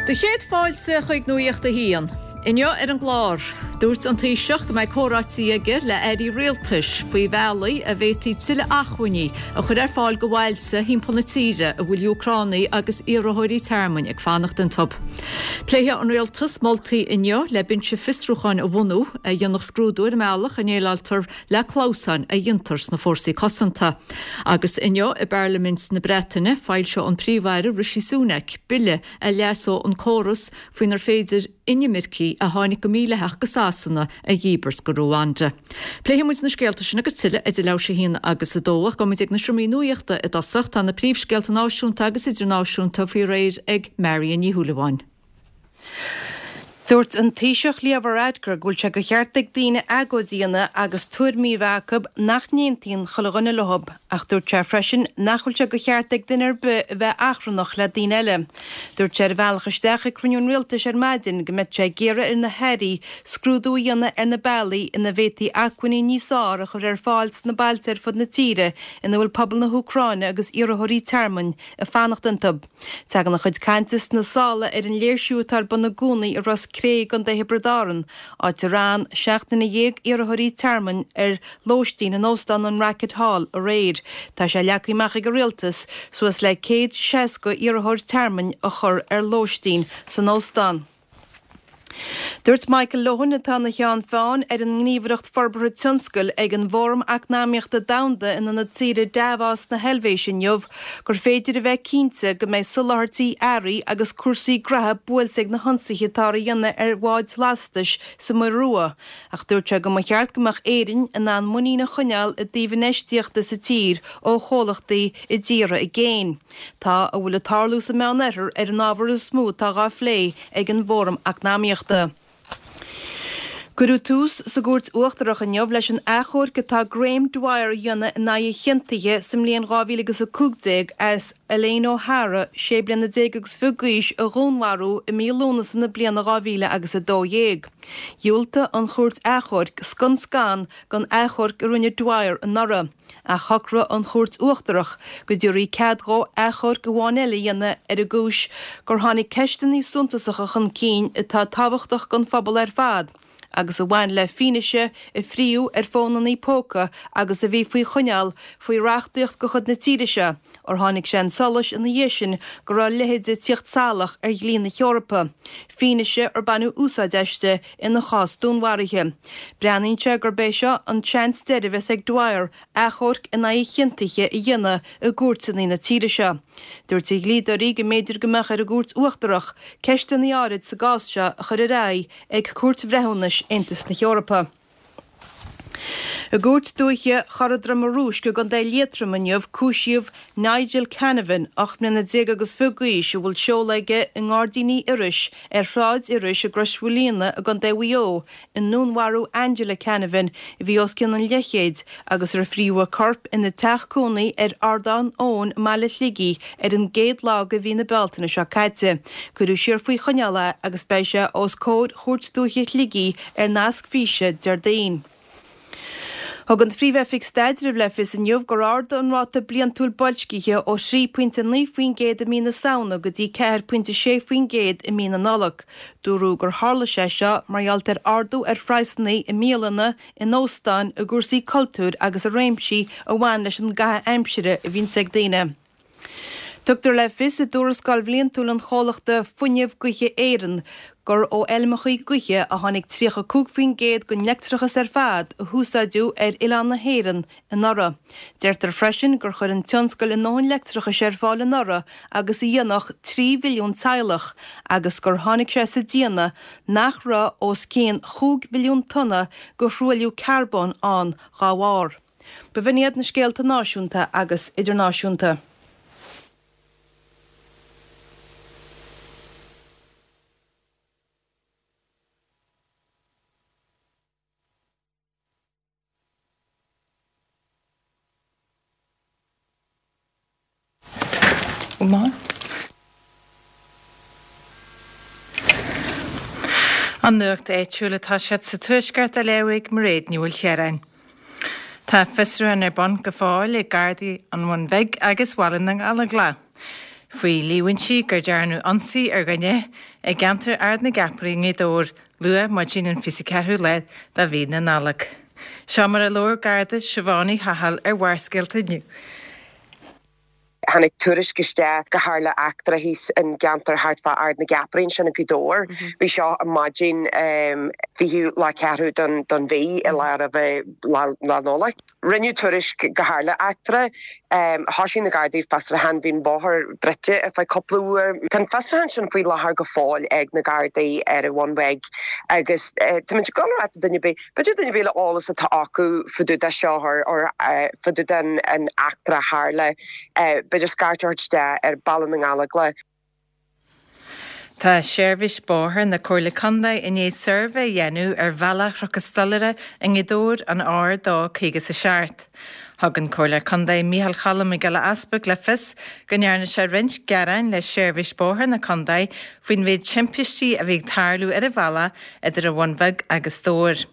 Do chéad fáilte chuig Nuacht a hAon. Inniu ar an gclár, dúirt an Taoiseach go mbeidh comhráití aige le airí rialtais faoi bhealaí a bhféadfaí tuilleadh acmhainní a chur ar fáil go bhailte thimpeall na tíre a bhfuil Úcránaigh agus iarrthóirí tearmainn ag fanacht iontu. Pléifidh an Rialtas moltaí inniu le binse fiosrúcháin a bhunú a dhéanfadh scrúdú ar an mbealach a ndéileáiltear le clamhsáin a dhéantar sna fórsaí cosanta. Agus inniu i bParlaimint na Breataine, foilseoidh an Príomh-Aire Rishi Sunak bille a leasóidh an córas faoinar féidir inimircigh a tháinig go mídhleathach go Sasana a dhíbirt go Ruanda. Pléifidh muid na scéalta sin agus tuilleadh idir leathuair tar éis a haon agus a dó ach gabhfaidh muid ag na seomraí nuachta i dtosach. Tá na príomhscéalta náisiúnta agus idirnáisiúnta faoi réir ag Marion Ní Shúilleabháin. Dúirt an Taoiseach Leo Varadkar go bhfuil sé de cheart ag daoine agóid a dhéanamh agus tuairimí a bheith acu nach n-aontaíonn chuile dhuine leo, ach dúirt sé freisin nach bhfuil sé de cheart ag duine ar bith a bheith achrannach le daoine eile. Dúirt sé ar a bhealach isteach ag cruinniú an Rialtais ar maidin go mbeadh sé ag iarraidh ar na hairí scrúdú a dhéanamh ar na bealaí ina bhféadfaí acmhainní níos fearr a chur ar fáil sna bailte ar fud na tíre ina bhfuil pobal na hÚcráine agus iarrthóirí tearmainn ag fanacht iontu. Tagann a chuid cainte sna sála ar an léirsiú atá ar bun i gcónaí i Ros Cré i gContae Thiobraid Árann, áit ar fhan 17,000 iarrthóirí tearmainn ar lóistín in óstán an Racket Hall aréir. Tá sé leagtha amach ag an Rialtas suas le 160 iarrthóir tearmainn a chur ar lóistín san óstán. Dúirt Michael Lohan, atá ina cheann feadhain ar an nGníomhaireacht Forbartha Tionscail ag an bhFóram Eacnamaíochta Domhanda in ionad saoire Davos na hEilvéise inniu, gur féidir a bheith cinnte go mbeidh soláthairtí earraí agus cúrsaí graithe buailte ag na hionsaithe atáthar a dhéanamh ar bháid lastais sa Muir Rua. Ach dúirt sé go mba cheart go mbeadh Éirinn in ann muinín a choinneáil i dtaobh infheistíochta sa tír ó chomhlachtaí i dtíortha i gcéin. Tá a bhfuil ag tarlú sa Meánoirthear ar an ábhar is mó atá dhá phlé ag an bhFóram Eacnamaíochta. Cuireadh tús sa gCúirt Uachtarach inniu leis an achomharc atá Graham Dwyer a dhéanamh in aghaidh a chiontaithe sa mbliain 2015 as Elaine O'Hara, sé bliana déag agus fiche d'aois, a dhúnmharú i mí Lúnasa na bliana 2012. Dhiúltaigh an Chúirt Achomhairc scun scan don achomharc a rinne Dwyer anuraidh. Ach shocraigh an Chúirt Uachtarach go dtabharfaí cead dhó achomharc amháin eile a dhéanamh ar an gcúis gur tháinig ceisteanna suntasacha chun cinn atá tábhachtach don phobal ar fad agus a bhain le fianaise a fríodh ar fónanna póca agus a bhí faoi choinneáil faoi reachtaíocht de chuid na tíre seo ar tháinig sé chun solais ina dhiaidh sin go raibh a leithéid ag tíocht salach ar dhlí na hEorpa, fianaise ar baineadh úsáid aisti ina chás dúnmharaithe. Breathnaíonn sé gurb é seo an seans deiridh a bheas ag Dwyer achomharc in aghaidh a chiontaithe a dhéanamh i gcúirteanna na tíre seo. Dúirt a dhlíodóirí go mb'fhéidir go mbeadh ar an gCúirt Uachtarach ceisteanna áirid sa gcás seo a chur ar aghaidh ag Cúirt Bhreithiúnais Aontas na hEorpa. I gCúirt Dúiche Chora Droma Rúisc i gContae Liatroma inniu cúisíodh Nigel Canavan, 18 mbliana agus fiche d'aois, a bhfuil seoladh aige i nGairdíní Iorrais ar Shráid Iorrais i gCrois Mhaoilíona i gContae Mhaigh Eo, i ndúnmharú Angela Canavan, a bhí os cionn an leathchéid, agus ar fríodh a corp ina teach cónaí ar Ardán Eoin i mbaile Shligigh ar an gcéad lá de mhí na Bealtaine seo caite. Cuireadh siar faoi choinneáil é agus beidh sé os comhair Chúirt Dúiche Shligigh ar nasc físe Déardaoin. Thug an Phríomh-Oifig Staidrimh le fios inniu gur ardaigh an ráta bliantúil boilscithe ó 3.9% i mí na Samhna go dtí 4.6% i mí na Nollag. Dúradh gur tharla sé seo mar gheall ar ardú ar phraghsanna i mbialanna, in óstáin, i gcúrsaí cultúir agus i réimsí a bhain leis an gcaitheamh aimsire a bhíonns ag daoine. Tugtar le fios i dtuarascáil bhliantúil an chomhlachta Fuinneamh Gaoithe Éireann gur ó fheilmeacha gaoithe a tháinig 35% den leictreachas ar fad a húsáideadh ar oileán na hÉireann anuraidh. Deirtear freisin gur chuir an tionscal a ndóthain leictreachais ar fáil anuraidh agus a dhéanfadh 3 mhilliún teaghlach agus gur tháinig sé sa déanamh nach raibh os cionn chúig mhilliún tonna de thruailliú carbóin ann dá bharr. B'in iad na scéalta náisiúnta agus idirnáisiúnta. An nuacht áitiúil atá siad sa Tuaisceart á léamh ag Mairéad Ní Mhaoilchiaráin. Tá fiosrúchán ar bun go fóill ag Gardaí an Bhun Bhig agus Bhaile na nGallóglach faoi líomhaintí gur dearnadh ionsaí ar dhuine. i gceantar Ard na gCeapairí i nGaoth Dobhair luath maidin an 24ú lá de mhí na Nollag. Seo mar a labhair Garda Siobhán Uí Chathail ar Bharrscéalta inniu. Tháinig tuairisc isteach go tharla eachtra thíos in gceantar thart fá Ard na gCeapairí ansin i Gaoth Dobhair. Bhí seo i maidin 20ú lá 4ú don mhí i lá roimhe lá Nollag. Rinneadh tuairisc go tharla eachtra. Thoisigh na Gardaí fiosrúchán. Bhí an bóthar druidte ar feadh cúpla uair. Tá an fiosrúchán sin faoi láthair go fóill ag na Gardaí ar an Bhun Bheag agus táimid ag dul a rá do duine ar bith, B'fhéidir duine ar bith le eolas atá acu fá dtaobh de seo or fá dtaobh den eachtra a tharla, b'fhéidir scairt a thabhairt isteach ar Baile na nGallóglach. Tá Seirbhís Bóthair na Comhairle Contae i ndiaidh suirbhé a dhéanamh ar bhealach Chnoc an Stolaire i nGaoth Dobhair, an R2 57. Thug an Comhairleoir Contae Micheál Cholm Mac Giolla Easbuig le fios go ndearna sé roinnt gearáin le Seirbhís Bóthair na Contae faoin mhéid timpistí a bhí ag tarlú ar an bhealach idir an Bhun Bheag agus Dobhar.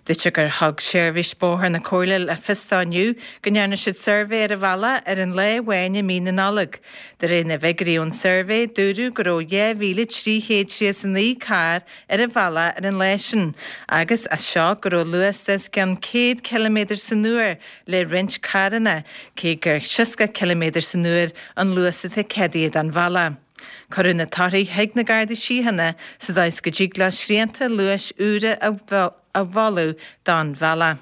Dúirt sé gur thug Seirbhís Bóthair na Comhairle le fios dó inniu go ndearna siad suirbhé ar an bhealach ar an lá amháin i mí na Nollag. De réir na bhfigiúirí ón suirbhé, dúradh go raibh 2,339 carr ar an bhealach ar an lá sin agus, as seo, go raibh luas de os cionn 100 ciliméadar san uair le roinnt carranna, cé gur 60 ciliméadar san uair an luas atá ceadaithe don bhealach. Cuireadh na torthaí chuig na Gardaí Síochána sa dóigh is go dtig leo srianta luais úra a mholadh don bhealach.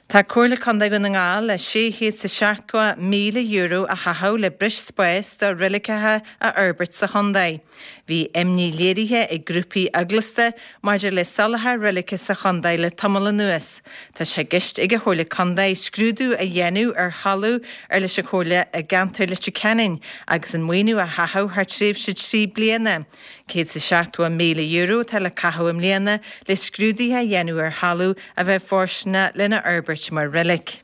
Tá Comhairle Contae Dhún na nGall le €670,000 a chaitheamh le breis spáis do reiligeacha a fhorbairt sa chontae. Bhí imní léirithe ag grúpaí eaglasta maidir le soláthar reilige sa chontae le tamall anuas. Tá sé i gceist ag an Chomhairle Contae scrúdú a dhéanamh ar thalamh ar leis an Chomhairle i gceantar Leitir Ceanainn agus an maoiniú a chaitheamh thar tréimhse 3 bliana. €170,000 atá le caitheamh i mbliana le scrúduithe a dhéanamh ar thalamh a bheadh fóirsteanach lena fhorbairt mar reilig.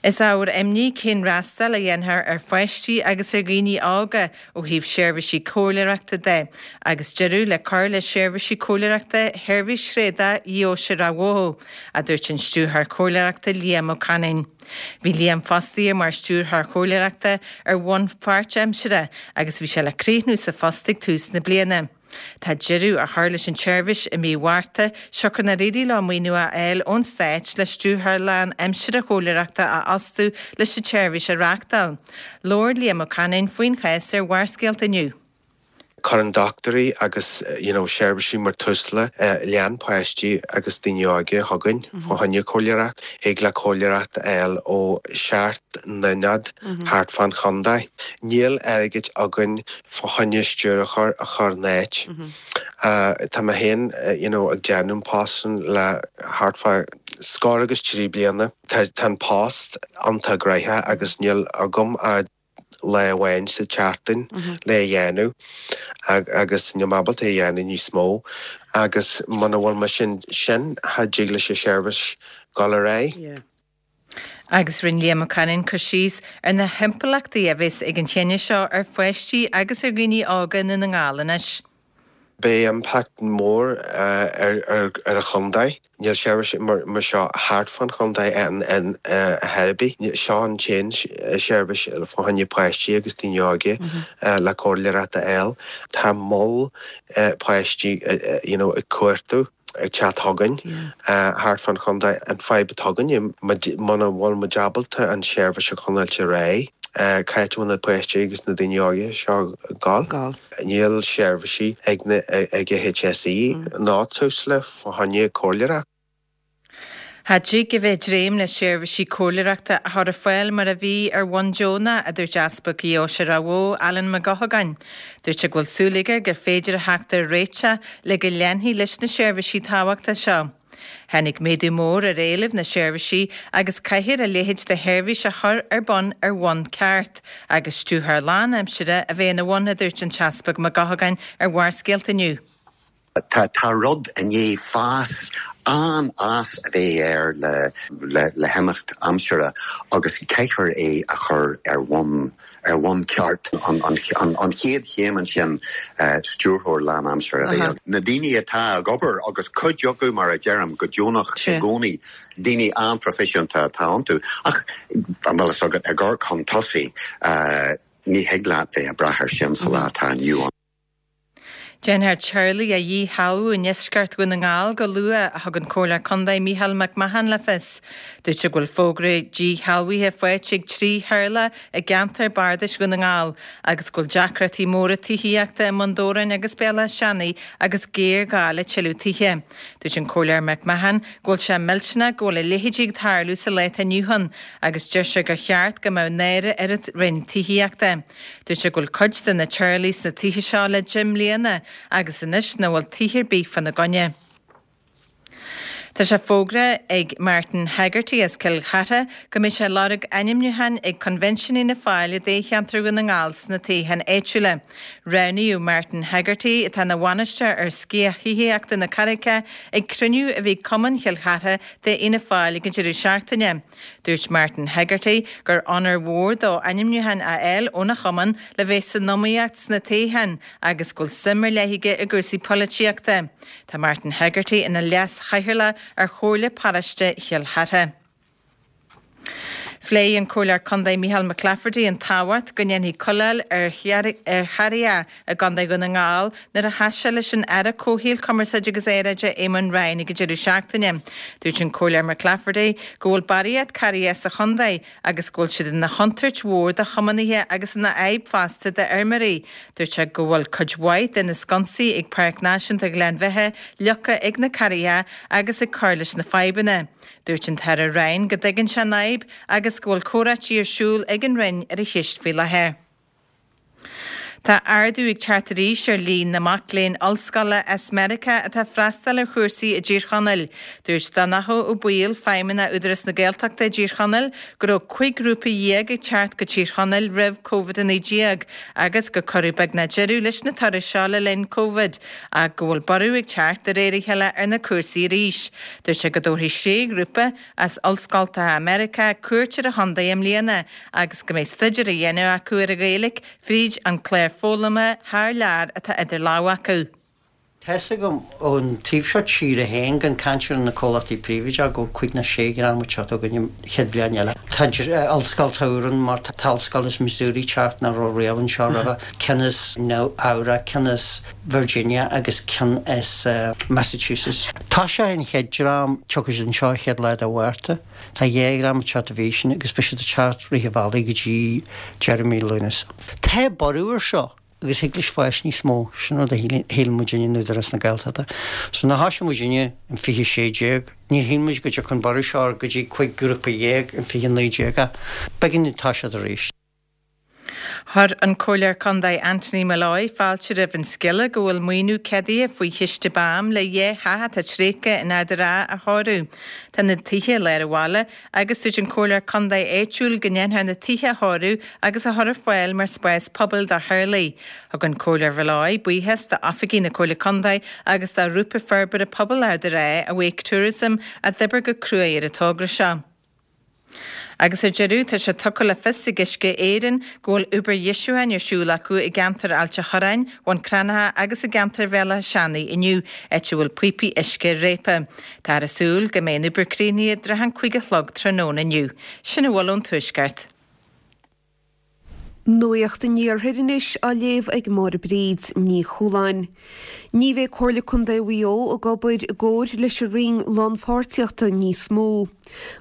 Is ábhar imní cén fhreastal a dhéanfar ar pháistí agus ar dhaoine óga ó thaobh seirbhísí comhairleoireachta de, agus deireadh le cur le seirbhísí comhairleoireachta Sheirbhís Thréadach Dheoise Ráth Bhoth, a dúirt an Stiúrthóir Comhairleoireachta Liam Ó Cainéin. Bhí Liam fostaithe mar Stiúrthóir Comhairleoireachta ar bhonn páirtaimseartha agus bhí sé le críochnú sa phost ag tús na bliana. Tá deireadh á chur leis an tseirbhís i mí Mhárta, siocair nár éirigh leo maoiniú a fháil ón Stát le stiúrthóir lán-aimseartha comhairleoireachta a fhostú leis an tseirbhís a reáchtáil. Labhair Liam Ó Cainéin faoin chás ar Bharrscéalta inniu. Cuireann dochtúirí agus you know seirbhísí mar Tusla lean páistí agus daoine óga chugainn fá choinne comhairleoireacht. Thig le comhairleoireacht a fháil ó sheacht n-ionad thart fán chontae. Níl airgead againn fá choinne stiúrthóir a chur in áit. Tá mé féin you know ag déanamh an post sin le thart fá scór agus trí bliana. Tá an post iontach gnoitheach agus níl agam ach lá amháin sa tseachtain le a dhéanamh agus níl mé ábalta é a dhéanamh níos mó agus muna bhfuil mise ansin cha dtig leis an seirbhís dul ar aghaidh. Agus rinne Liam Ó Cainéin cur síos ar na himpleachtaí a bheas ag an chinneadh seo ar pháistí agus ar dhaoine óga i nDún na nGall anois. Beidh impact mór ar an chontae. Níl seirbhís mar seo thart fán chontae in áit ar bith. Seo an t-aon seirbhís fá choinne páistí agus daoine óga le comhairleoireacht a fháil. Tá moll páistí you know ag cuartú. ag teacht chugainn thart fán chontae. An fadhb atá againne, muna bhfuil muid ábalta an seirbhís a choinneáilt ar aghaidh, cá háit a bhfuil na páistí agus na daoine óga seo ag gabháil? Níl seirbhísí ag na ag an HSE ná Tusla fá choinne comhairleoireacht. Cha dtig a bheith ag dréim le seirbhísí comhairleoireachta a chur ar fáil mar a bhí ar bhonn deonach, a dúirt Easpag Dheoise Ráth Bhoth, Alan Mac Eochagáin. Dúirt sé go bhfuil súil aige gur féidir a theacht ar réiteach le go leanfaí leis na seirbhísí tábhachtacha seo. Tháinig méadú mór ar éileamh na seirbhísí agus caithfear a leithéid de sheirbhís a chur ar bun ar bhonn ceart agus stiúrthóir lán-aimsire a bheith ina bhun, a dúirt an tEaspag Mac Eochagáin ar Bharrscéalta inniu. Tá tá rud i ndiaidh fás, an-fhás a bheith air le le himeacht aimsire agus caithfear é a chur ar bhonn ar bhonn ceart. An an an chéad chéim ansin stiúrthóir lánaimseartha a bheith ann. Na daoine atá ag obair agus cuid acu mar a deirim go deonach i gcónaí, daoine an-phroifisiúnta atá iontu ach an bhfuil fhios agat ag amharc chun tosaigh. Ní thig leat bheith ag brath ar sin sa lá atá inniu ann. Déanfar teaghlaigh a dhíshealbhú i ndeisceart Dhún na nGall go luath, a thug an Comhairleoir Contae Micheál Mac Mahon le fios. Dúirt sé go bhfuil fógra díshealbhaithe faighte ag 3 theaghlach i gceantar bardais Dhún na nGall agus go bhfuil deacrachtaí móra tithíochta i mBun Dobhráin agus Béal Átha Seanaidh agus géarghá le tuilleadh tithe. Dúirt an Comhairleoir McMahon go bhfuil sé millteanach go bhfuil a leithéidí ag tarlú sa lá atá inniu ann agus deir sé gur cheart go mbeadh náire ar an Roinn Tithíochta. Dúirt sé go bhfuil cuid de na teaghlaigh sna tithe seo le 10 mbliana agus anois nach bhfuil tithe ar bith fána gcoinne. Tá sé fógraithe ag Martin Hegarty as Cill Chartha go mbeidh sé ag lorg ainmniúcháin ag Convention Fhianna Fáil i dtoghcheantar Dhún na nGall sna toghcháin áitiúla. Roghnaíodh Martin Hegarty, atá ina bhainisteoir ar Sciath Thithíochta na Carraice, ag cruinniú a bhí ag Cumann Chill Chartha d'Fhianna Fáil ag an deireadh seachtaine. Dúirt Martin Hegarty gur onóir mhór dó ainmniúchán a fháil óna chumann le bheith san iomaíocht sna toghcháin agus go bhfuil suim ar leith aige i gcúrsaí polaitíochta. Tá Martin Hegarty ina leas-chathaoirleach ar Chomhairle Paróiste Chill Chartha. Phléigh an Comhairleoir Contae Micheál McClafferty an tábhacht go ndéanfaí cuileáil ar charraigeacha i gContae Dhún na nGall nuair a chas sé leis an Aire Comhshaoil, Cumarsáide agus Aeráide Eamon Ryan ag an deireadh seachtaine. Dúirt an Comhairleoir McClafferty go bhfuil barraíocht carraigeacha sa chontae agus go bhfuil siad ina chontúirt mhór do thiománaithe agus ina fhadhb fosta d'fheirmeoirí. Dúirt sé go bhfuil cuid mhaith de na sconsaí ag Páirc Náisiúnta Ghleann Bheithe fliuchta ag na carraigeacha agus ag cur leis na fadhbanna. Dúirt an tAire Ryan go dtuigeann sé an fhadhb agus go bhfuil comhráití ar siúl ag an Roinn ar an cheist faoi láthair. Tá ardú ag teacht arís ar líon na mac léinn ollscoile as Meiriceá atá ag freastal ar chúrsaí i dTír Chonaill. Dúirt Donnchadh Ó Baoill, Feidhmeannach Údarás na Gaeltachta i dTír Chonaill, go raibh 15 grúpa ag teacht go Tír Chonaill roimh Covid-19 agus gur cuireadh beagnach deireadh leis na turais seo le linn Covid ach go bhfuil borradh ag teacht de réir a chéile ar na cúrsaí arís. Dúirt sé go dtabharfaidh sé ghrúpa as ollscoltacha Meiriceá cuairt ar an chontae i mbliana agus go mbeidh staidéar á dhéanamh acu ar an Ghaeilge fríd an clár foghlama thar lear atá idir lámha acu. Tá's agam ón taobh seo tíre féin, gan caint ar na comhlachtaí príobháideacha, go bhfuil cúig nó sé dhream ag teacht chugainn an chéad bhliain eile. Tá ollscoil úr ann mar tá ollscoil as Missouri ag teacht nach raibh riamh anseo roimhe, ceann as Nua Eabhrac, ceann as Virginia agus ceann as Massachusetts. Tá sé an chéad dream, tiocfaidh siad anseo an chéad lá de Mhárta. Tá dhá dhream ag teacht an mhí sin agus beidh siad ag teacht rith an bhealaigh go dtí deireadh mí Lúnasa. Tá borradh ar seo agus thig leis fás níos mó, sin rud a shíl muidinne in Údarás na Gaeltachta. So nuair a thoisigh muidinne in 2016, níor shíl muid go dtiocfadh an borradh seo go dtí 15 grúpa in 2019 ach b'éigean dúinn toiseacht arís. Chuir an Comhairleoir Contae Anthony Molloy fáilte roimh an scéala go bhfuil maoiniú ceadaithe faoi chiste BAM le dhá theach atá tréigthe in Ard an Rátha a chóiriú. Tá na tithe i lár an bhaile agus dúirt an Comhairleoir Contae áitiúil go ndéanfar na tithe a chóiriú agus a chur ar fáil mar spás pobail do theaghlaigh. Thug an Comhairleoir Molloy buíochas d'oifigigh na Comhairle Contae agus do Ghrúpa Forbartha Pobail Ard an Rátha, Awake Tourism, a d'oibir go cruaidh ar an togra seo. Agus ar deireadh, tá sé tugtha le fios ag Uisce Éireann go bhfuil obair dheisiúcháin ar siúl acu i gceantar Ailt a' Chorráin, Bhun Cranncha agus i gceantar Bhéal Átha Seanaidh inniu, áit a bhfuil píopaí uisce réabtha. Táthar ag súil go mbeidh an obair críochnaithe i dtrátha an 5 a chlog tráthnóna inniu. Sin a bhfuil ón Tuaisceart. Nuacht an Iarthair anois á léamh ag Máire Bríd Ní Chualáin. Ní bheidh Comhairle Contae Mhaigh Eo ag obair i gcomhair leis an Roinn Lánpháirtíochta níos mó.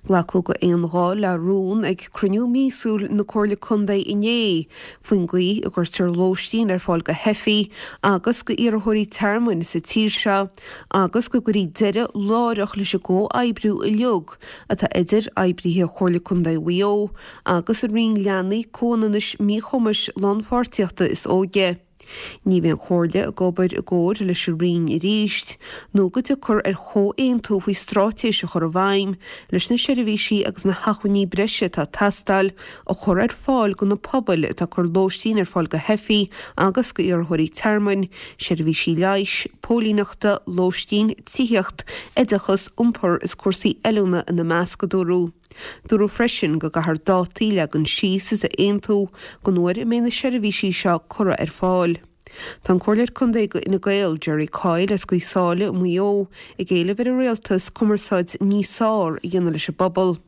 Glacadh go aon ghuth le rún ag cruinniú míosúil na Comhairle Contae inné faoin gcaoi a gcuirtear lóistín ar fáil do theifigh agus do iarrthóirí tearmainn sa tír seo agus go gcuirfí deireadh láithreach leis an gcomhoibriú uilig atá idir oibrithe Chomhairle Contae Mhaigh Eo agus an Roinn Leanaí, Comhionannais, Míchumais, Lánpháirtíochta is Óige. Ní bheidh an Chomhairle ag obair i gcomhar leis an Roinn arís nó go dtiocfar ar chomhaontú faoi straitéis a chur i bhfeidhm leis na seirbhísí agus na hacmhainní breise atá ag teastáil a chur ar fáil do na pobail atá ag cur lóistín ar fáil do theifigh agus d'iarrthóirí tearmainn, seirbhísí leighis, póilíneachta, lóistín, tithíocht, oideachas, iompar is cúrsaí oiliúna ina measc, a dúradh. Dúradh freisin go gcaithfear dátaí a leagan síos is a aontú don uair a mbeidh na seirbhísí seo curtha ar fáil. Tá an Comhairleoir Contae do Fhine Gael, Jerry Coyle as Gaoth Sáile i Maigh Eo, ag éileamh ar an Rialtas cumarsáid níos fearr a dhéanamh leis an bpobal.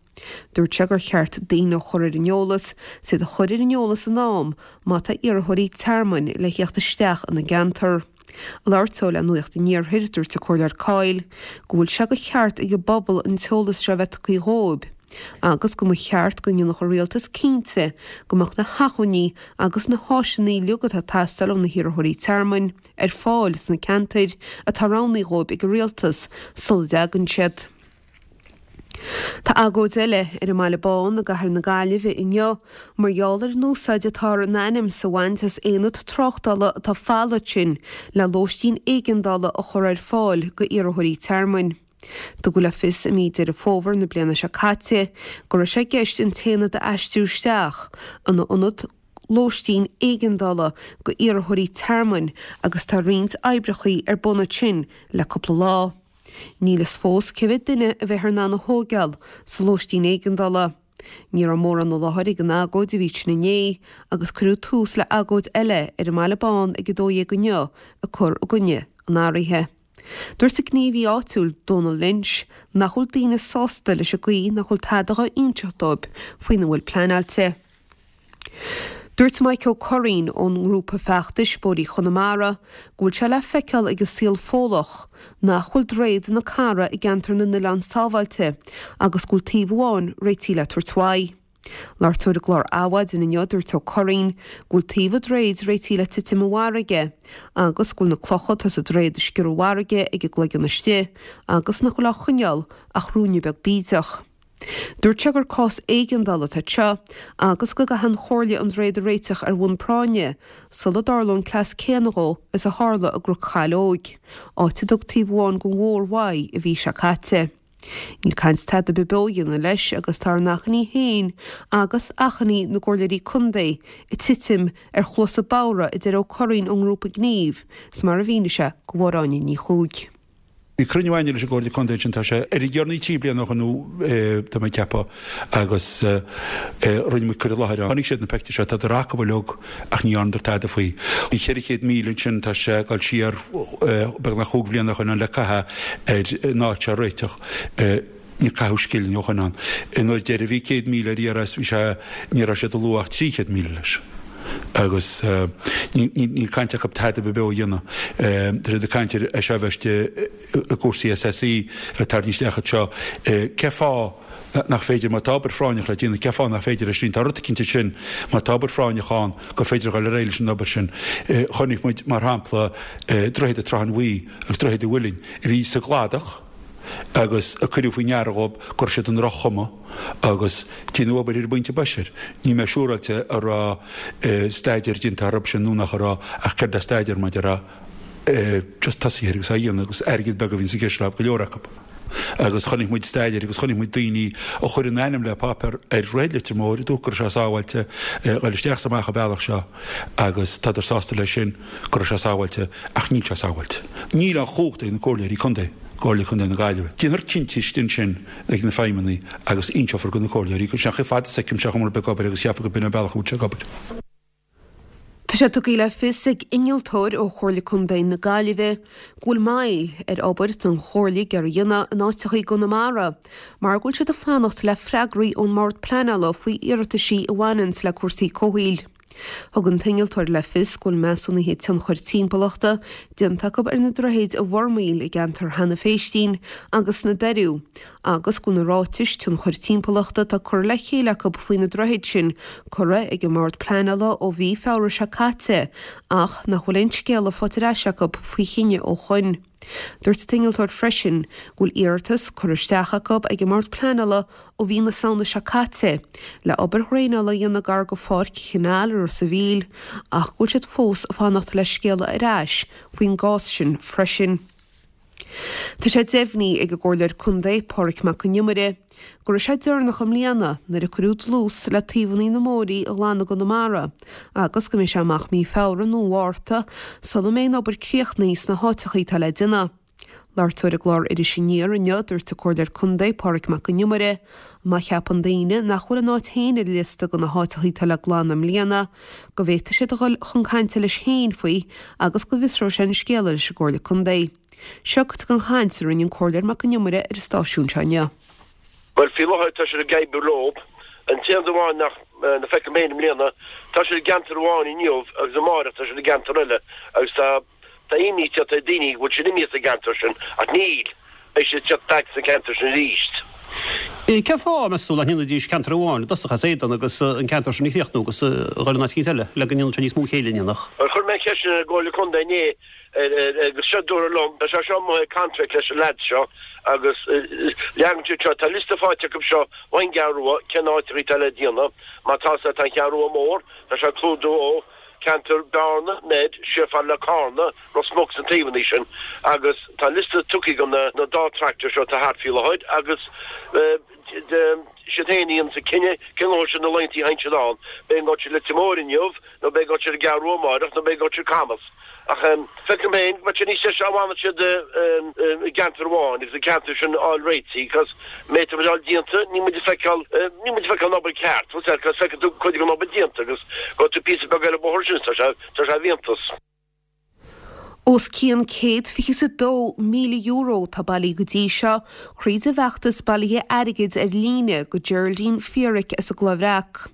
Dúirt sé gur cheart daoine a chur ar an eolas, is iad a chur ar an eolas in am má tá iarrthóirí tearmainn le theacht isteach ina gceantar. Ag labhairt dó le Nuacht an Iarthair, dúirt an Comhairleoir Coyle go bhfuil sé de cheart ag an bpobal an t-eolas seo a bheith tugtha dhóibh agus go mba cheart go ndéanfadh an rialtas cinnte go mbeadh na hacmhainní agus na háiseanna uilig atá ag teastáil ó na hiarrthóirí tearmainn ar fáil sna ceantair atá roghnaithe dhóibh ag an rialtas sula dtagann siad. Tá agóid eile ar an mBaile Bán i gcathair na Gaillimhe inniu mar gheall ar an úsáid atáthar in ainm is a bhaint as aonad tráchtála atá folamh ansin le lóistín éigeandála a chur ar fáil go iarrthóirí tearmainn. Tugadh le fios i mí Deireadh Fómhair na bliana seo caite go raibh sé i gceist an t-aonad a aistriú isteach ina ionad lóistín éigeandála go iarrthóirí tearmainn agus tá roinnt oibreachaí ar bun ansin le cúpla lá. Níl fhios fós cé mhéad duine a bheifear in ann a thóigeáil sa lóistín éigeandála. Ní raibh mórán i láthair ag an agóid a bhí ansin inné agus cuireadh tús le agóid eile ar an mBaile Bán ag 12 inniu ag cur i gcoinne an athraithe. Dúirt an gníomhaí áitiúil Donal Lynch nach bhfuil daoine sásta leis an gcaoi nach bhfuil tada dhá inseacht dóibh faoina bhfuil pleanáilte. Dúirt Mike Ó Curraoin ón ngrúpa feachtais Bóithrí Chonamara go bhfuil sé le feiceáil ag an saol Fódlach nach bhfuil Droichead na Carra i gceantar na nOileán sábháilte agus go bhfuil taobh amháin réitithe le tabhairt uaidh. Labhairt dó ar an gclár Adhmhaidin inniu dúirt Ó Curraoin go bhfuil taobh an droichid réitithe le titim i bhfarraige agus go bhfuil na clocha atá sa droichead ag sciorradh i bhfarraige ag an gcloigeann istigh agus nach bhfuil á choinneáil ach ruainne beag bídeach. Dúirt sé gur cás éigeandála atá anseo agus go gcaithfidh an Chomhairle an droichead a réiteach ar bhonn práinne sula dtarlóidh an cleas céanna dhó is a tharla i gCnoc Chaileoig, áit a dtug taobh amháin den bhóthar uaidh an mhí seo caite. Níl caint tada ar bith beo a dhéanamh leis agus tá ár n-achainí féin agus achainí na gcomhairleoirí contae ag titim ar chluasa bodhra a deir Ó Curraoin ón ngrúpa Gníomh is mar a mhínigh sé do Mháire Áine Ní Chuaig. Bhí cruinniú againne leis an gComhairle Contae ansin, tá sé ar a dheireanaí 3 bliana ó shin nó tá mé ag ceapadh, agus rinne muid cur i láthair ann. Chonaic siad na peictiúir seo, tádar acu uilig ach ní dhearnadar tada faoi. Bhí 400,000 ansin, tá sé ag dul siar beagnach chúig bhliana ó shin ann le caitheamh ar an áit seo a réiteach. Níor caitheadh scilling ó shin ann. Nuair deireadh bhí 100,000 ar iarraidh is bhí sé, ní raibh siad ag lua ach 300,000 leis. Agus níl caint acu tada ar bith beo a dhéanamh. Tá siad ag caint ar é seo a bheith istigh i gcúrsaí SSE le tarraingt isteach anseo. Cé fáth nach féidir, má tá obair phráinneach le déanamh, cé fáth nach féidir é sin? Tá rud eicínt ansin, má tá obair phráinneach ann, gur féidir a dhul ar aghaidh leis an obair sin. Chonaic muid, mar shampla, Droichead Trá an Bhuí agus Droichead an Mhuilinn a bhí sa gcladach agus a cuireadh faoi ndeara dhóibh go raibh siad i ndroch-chuma agus déanadh obair ar an bpointe boise air. Níl mé siúráilte an raibh staidéar déanta orthu sin nó nach raibh ach céard é staidéar mar a déarfá just tosaithe air agus á dhéanamh agus airgead beag a bhíonns i gceist le go leor acu. Agus chonaic muid staidéir agus chonaic muid daoine a chuir a n-ainm le páipéar ar Dhroichead Leitir Móir a dúirt go raibh sé sábháilte dhul isteach is amach an bealach seo agus tádar sásta leis sin go raibh sé sábháilte ach níl sé sábháilte. Níl an chumhacht ag na comhairleoirí contae, Comhairle Contae na Gaillimhe. Déanfar cinntí istigh ansin ag na feidhmeannaigh agus inseofar do na comhairleoirí go Sin chomh fada is a fheicimse an chuma ar bith ag obair agus cheapfá go b'in an bealach a bhfuil sé ag obair. Tá sé tugtha le fios ag innealtóir ó Chomhairle Contae na Gaillimhe go bhfuil moill ar obair atá an Chomhairle ag iarraidh a dhéanamh in áiteacha i gConamara mar go bhfuil siad ag fanacht le freagraí ón mBord Pleanála faoi iarrataisí a bhaineanns le cúrsaí comhshaoil. Thug an t-innealtóir le fios go bhfuil measúnuithe tionchair timpeallachta déanta acu ar na droichid i bhFormaoil i gceantar Hannah Phéistín agus sna Doiriú agus go bhfuil na ráitis tionchair timpeallachta atá curtha le chéile acu faoi na droichid sin curtha ag an mBord Pleanála ó mhí Feabhra seo caite ach nach bhfuil aon scéala faighte ar ais acu faoi chinneadh ó shoin. Dúirt an t-innealtóir freisin go bhfuil iarratas curtha isteach acu ag an mBord Pleanála ó mhí na Samhna seo caite le obair dhraenála a dhéanamh gar go Pháirc Canal i Ros a' Mhíl ach go bhfuil siad fós ag fanacht le scéala ar ais faoin gcás sin freisin. Tá sé deimhnithe ag an gComhairleoir Contae, Pádraig Mac Con Iomaire, go raibh sé deireanach i mbliana nuair a cuireadh dlús le taobhanna na mbóithrí a ghlanadh i gConamara agus go mbeidh sé amach mí Feabhra nó Mhárta sula mbeidh an obair críochnaithe sna háiteacha atá le déanamh. Labhairt dó ar an gclár Iris Aniar inniu, dúirt an Comhairleoir Contae, Pádraig Mac Con Iomaire, má cheapann daoine nach bhfuil a n-áit féin ar an liosta de na háiteacha atá le glanadh i mbliana, go bhféadfaidh siad a dhul chun cainte leis féin faoi agus go bhfiosróidh sé an scéal leis an gComhairle Contae. Seo cuid den chaint a rinne an Comhairleoir Mac Con Iomaire ar an stáisiún seo inniu. Bhuel, faoi láthair tá siad ag oibriú leo. An t-aon rud amháin nach feicim féin i mbliana, tá siad i gceantar amháin inniu agus amáireach tá siad i gceantar eile agus tá tá imní ag teacht ar daoine go bhfuil siad imithe as an gceantar sin ach níl, beidh siad ag teacht back sna ceantair sin arís. Cén fáth, meas tú, nach ndéanfaidís ceantar amháin i dtosach as éadan agus an ceantar sin a chríochnú agus a dhul in áit eicínt eile le go ndéanfadh sé níos mó céille, an ndéanfadh? Bhuel, chuir mé an cheist sin ar an gComhairle Contae inné Agus seo dúradh liom, tá sé seo amuigh ag contract leis an leads seo agus leagann siad seo, tá liosta faighte acu seo ón gCeathrú Rua cén áiteachaí atá le déanamh, má tá sé, tá an Cheathrú Rua mór, tá sé ag clúdú ó ceantar Bearna, Mead, siar fad le Carna, Ros Muc sna taobhannaí sin agus tá liosta tugtha ag na dá tractor seo atá thart faoi láthair agus siad féin a dhéananns an cinneadh cén uair sin na laethantaí a théann siad ann, beidh an gabhal siad Leitir Móir inniu nó beidh gabhal siad an gCeathrú Rua amáireach nó beidh gabhal siad Camas. Ach feicim féin go mbeadh sé níos deise dá bhfanfadh siad i gceantar amháin agus an ceantar sin a fháil réitithe cos méid atá muid déanta níl muid ag feiceáil níl muid ag feiceáil an obair ceart bhfuil a fhios agat cos feiceann tú cuid den obair déanta agus gabhfaidh tú píosa beag eile bóthar sin tá sé tá sé iontach. Os cionn €122,000 atá bailithe go dtí seo thríd an bhfeachtas bailithe airgid ar líne go Geraldine Feerick as an gCloich Bhreac.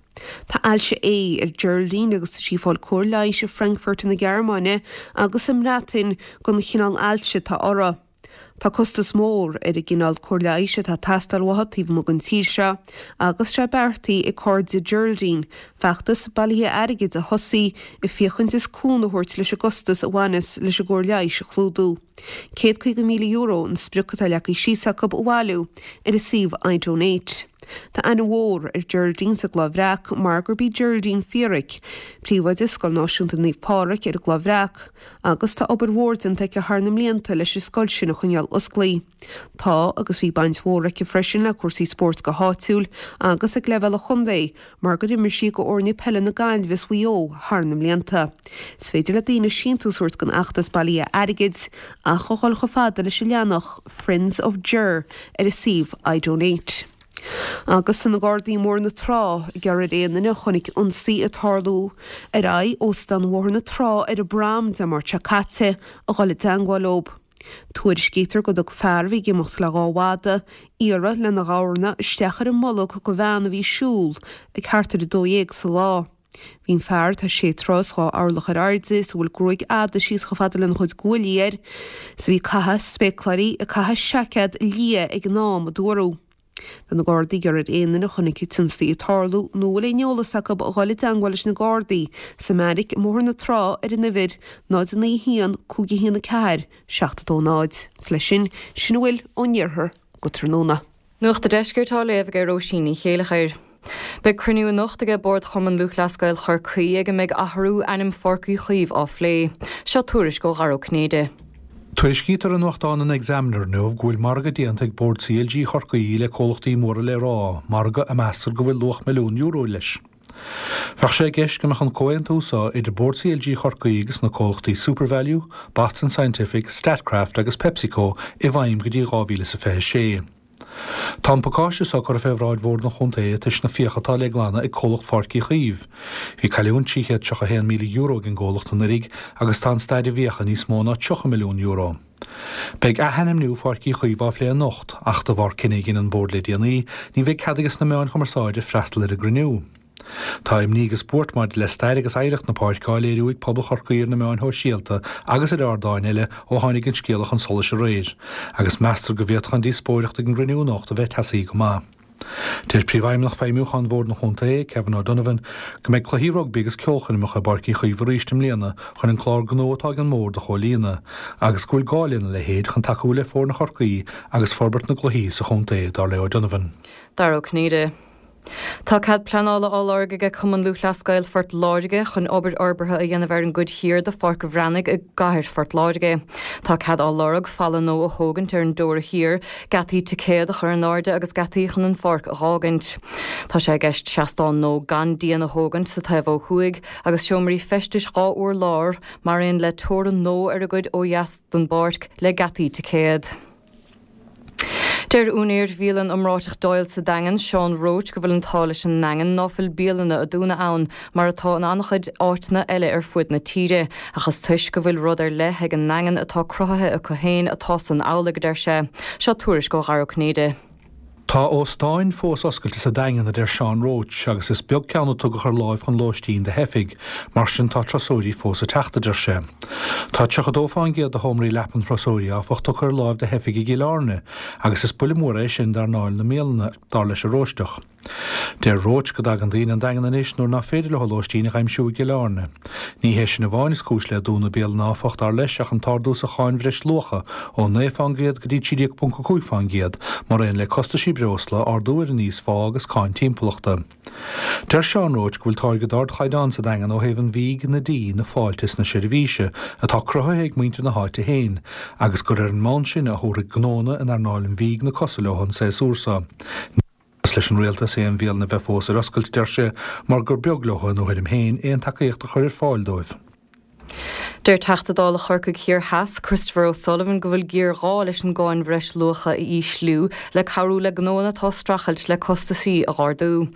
Tá ailse A ar Geraldine agus tá sí ag fáil cóir leighis i Frankfurt na Gearmáine agus sa mBreatain don chineál ailse atá uirthi. Tá costas mór ar an gcineál cóir leighis atá ag teastáil uaithi taobh amuigh den tír seo agus sé beartaithe ag cairde Geraldine feachtas bailithe airgid a thosaí ag féachaint is cúnamh a thabhairt leis an gcostas a bhaineas leis an gcóir leighis a chlúdú. €150,000 an sprioc atá leagtha síos acu a bhailiú ar an suíomh iDonate. Tá aithne mhór ar Geraldine sa gCloich Bhreac mar gurb í Geraldine Feerick, príomhoide Scoil Náisiúnta Naomh Pádraig ar an gCloich Bhreac, agus tá obair mhór déanta aici thar na mblianta leis an scoil sin a choinneáil osclaí. Tá agus bhí baint mhór aici freisin le cúrsaí spóirt go háitiúil agus ag leibhéal an chontae mar gur imir sí go fhoirne peile na Gaillimhe is Mhaigh Eo thar na mblianta. Is féidir le daoine síntiús a thabhairt don fheachtas bailithe airgid ach a dhul chomh fada leis an leathanach Friends of Ger ar an suíomh iDonate. Agus tá na Gardaí i mBóthar na Trá ag iarraidh ar aon duine a chonaic ionsaí ag tarlú ar aghaidh Óstán Bhóthar na Trá ar an bprom Dé Máirt seo caite a dhul i dteangmháil leo. Tuairiscítear go dtug fear a bhí ag imeacht le dhá mhadadh iarraidh lena ghabharna isteach ar an mbolg go bhean a bhí ag siúl ag thart ar a 12 sa lá. Bhí an fear, atá sé troigh is dhá orlach ar airde is a bhfuil gruaig fhada síos chomh fada lena chuid guaillí air, is a bhí ag caitheamh spéacláirí, ag caitheamh seaicéad liath ag an am, a dúradh. Tá na Gardaí ag iarraidh ar aon duine a chonaic an t-ionsaí ag tarlú nó a bhfuil aon eolas acu a dhul i dteangmháil leis na Gardaí sa mBeairic i mBóthar na Trá ar an uimhir 0 9 1 5 1 4 7 2 0. Is leis sin, sin a bhfuil ón iarthar go tráthnóna. Nuacht an Deiscirt á léamh ag Róisín Ní Chéileachair. Beidh cruinniú anocht aige Bord Chumann Lúthchleas Gael Chorcaí ag a mbeidh athrú ainm Pháirc Uí Chaoimh á phlé. Seo tuairisc ó Dhara Ó Cinnéide. Tuairiscítear i nuachtán an Examiner inniu go bhfuil margadh déanta ag Bord CLG Chorcaí le comhlachtaí móra le rá, margadh a meastar go bhfuil luach milliún euro leis. Bheadh sé i gceist go mbeadh an comhaontú seo idir Bord CLG Chorcaí agus na comhlachtaí Supervalu, Boston Scientific, Statkraft agus PepsiCo i bhfeidhm go dtí 2026. Tá an pacáiste seo curtha fé bhráid Bhord an Chontae toisc na fiacha atá le glanadh ag comhlacht Pháirc Uí Chaoimh. Bhí cailliúint €331,000 ag an gcomhlacht anuiridh agus tá an staid i bhfiacha níos mó ná €30 milliún. Beidh athainmniú Pháirc Uí Chaoimh á phlé anocht ach de bharr cinneadh a dhein an Bord le déanaí ní bheidh cead ages na meáin chumarsáide freastal ar an gcruinniú. Tá imní agus buairt maidir le stair agus oidhreacht na páirce á léiriú ag pobal Chorcaí ar na meáin shóisialta agus ar ardáin eile ó tháinig an scéala chun solais aréir, agus meastar go bhféadfadh an díospóireacht ag an gcruinniú anocht a bheith teasaí go maith. Deir Príomhfheidhmeannach Feidhmiúcháin Bhord an Chontae, Kevin O'Donovan, go mbeidh cluichí rugbaí agus ceolchoirmeacha i bPáirc Uí Chaoimh arís i mbliana chun an clár gnó atá ag an mBord a chomhlíonadh, agus go bhfuil gá lena leithéid chun tacú le foirne Chorcaí agus forbairt na gcluichí sa chontae, dar le O'Donovan. Dara Ó Cinnéide. Tá cead pleanála á lorg aige Cumann Lúthchleas Gael Phort Láirge chun obair fhorbartha a dhéanamh ar an gcuid thiar de Pháirc an Bhreathnaigh i gcathair Phort Láirge. Tá cead á lorg falla nua a thógaint ar an dteora thiar, geataí ticéad a chur in airde agus geataí chun an pháirc a dh'fhágaint. Tá sé i gceist seastán nua gan díon a thógaint sa taobh ó thuaidh agus seomraí feistis 2 urlár mar aon le teorainn nua ar an gcuid ó dheas den bpáirc le geataí ticéad. Deir úinéir bhialann iomráiteach Doyle's sa Daingean, Seán Roche, go bhfuil an t-ádh leis an nDaingean ná fuil bialanna a dúnadh ann, mar atá in an-chuid áiteanna eile ar fuaid na tíre, ach is toisc go bhfuil rud ar leith ag an nDaingean atá cruthaithe acu féin atá san amhlaidh, a deir sé. Seo tuairisc ó Dhara Ó Cinnéide. Tá óstáin fós oscailte sa Daingean, a deir Seán Roche, agus is beag ceann a tugadh ar láimh chun lóistín do theifigh, mar sin tá turasóirí fós ag teacht, a deir sé. Tá 32 fán gcéad de sheomraí leapan thurasóirí, áfach, tugtha ar láimh do theifigh i gCill Airne, agus is buille mór é sin d'earnáil na mbialanna, dar leis an Róisteach. Deir Roche go dtagann daoine 'on Daingean anois nuair ná féidir leo lóistín a dh'aimsiú i gCill Airne. Ní hé sin amháin is cúis le dúnadh bialanna áfach, dar leis, ach an t-ardú sa cháin bhreisluacha ó 9 fán gcéad go dtí 13.5 fán gcéad, maraon le costaisí breosla, ardú ar an íosphá agus cáin timpeallachta. Deir Seán Roche go bhfuil táirge d'ardchaighdeán sa Daingean ó thaobh an bhídh, na dí, na fáilte is na seirbhíse, atá cruthaithe ag muintir na háite féin, agus gur ar an mbonn sin a thabharfaidh gnónna in earnáil an bhídh na cosa leo an séasúr seo. Ní cás leis an rialtas aon bhialann a bheith fós ar oscailt, deir sé, mar gur beag leo, ina thuairim féin, aon tacaíocht a chur ar fáil dóibh. Deir Teachta Dála Chorcaigh Thiar Theas, Christopher O'Sullivan go bhfuil géarghá leis an gcáin bhreisluacha a ísliú le cabhrú le gnóanna atá ag streachailt le costaisí a dh'ardú.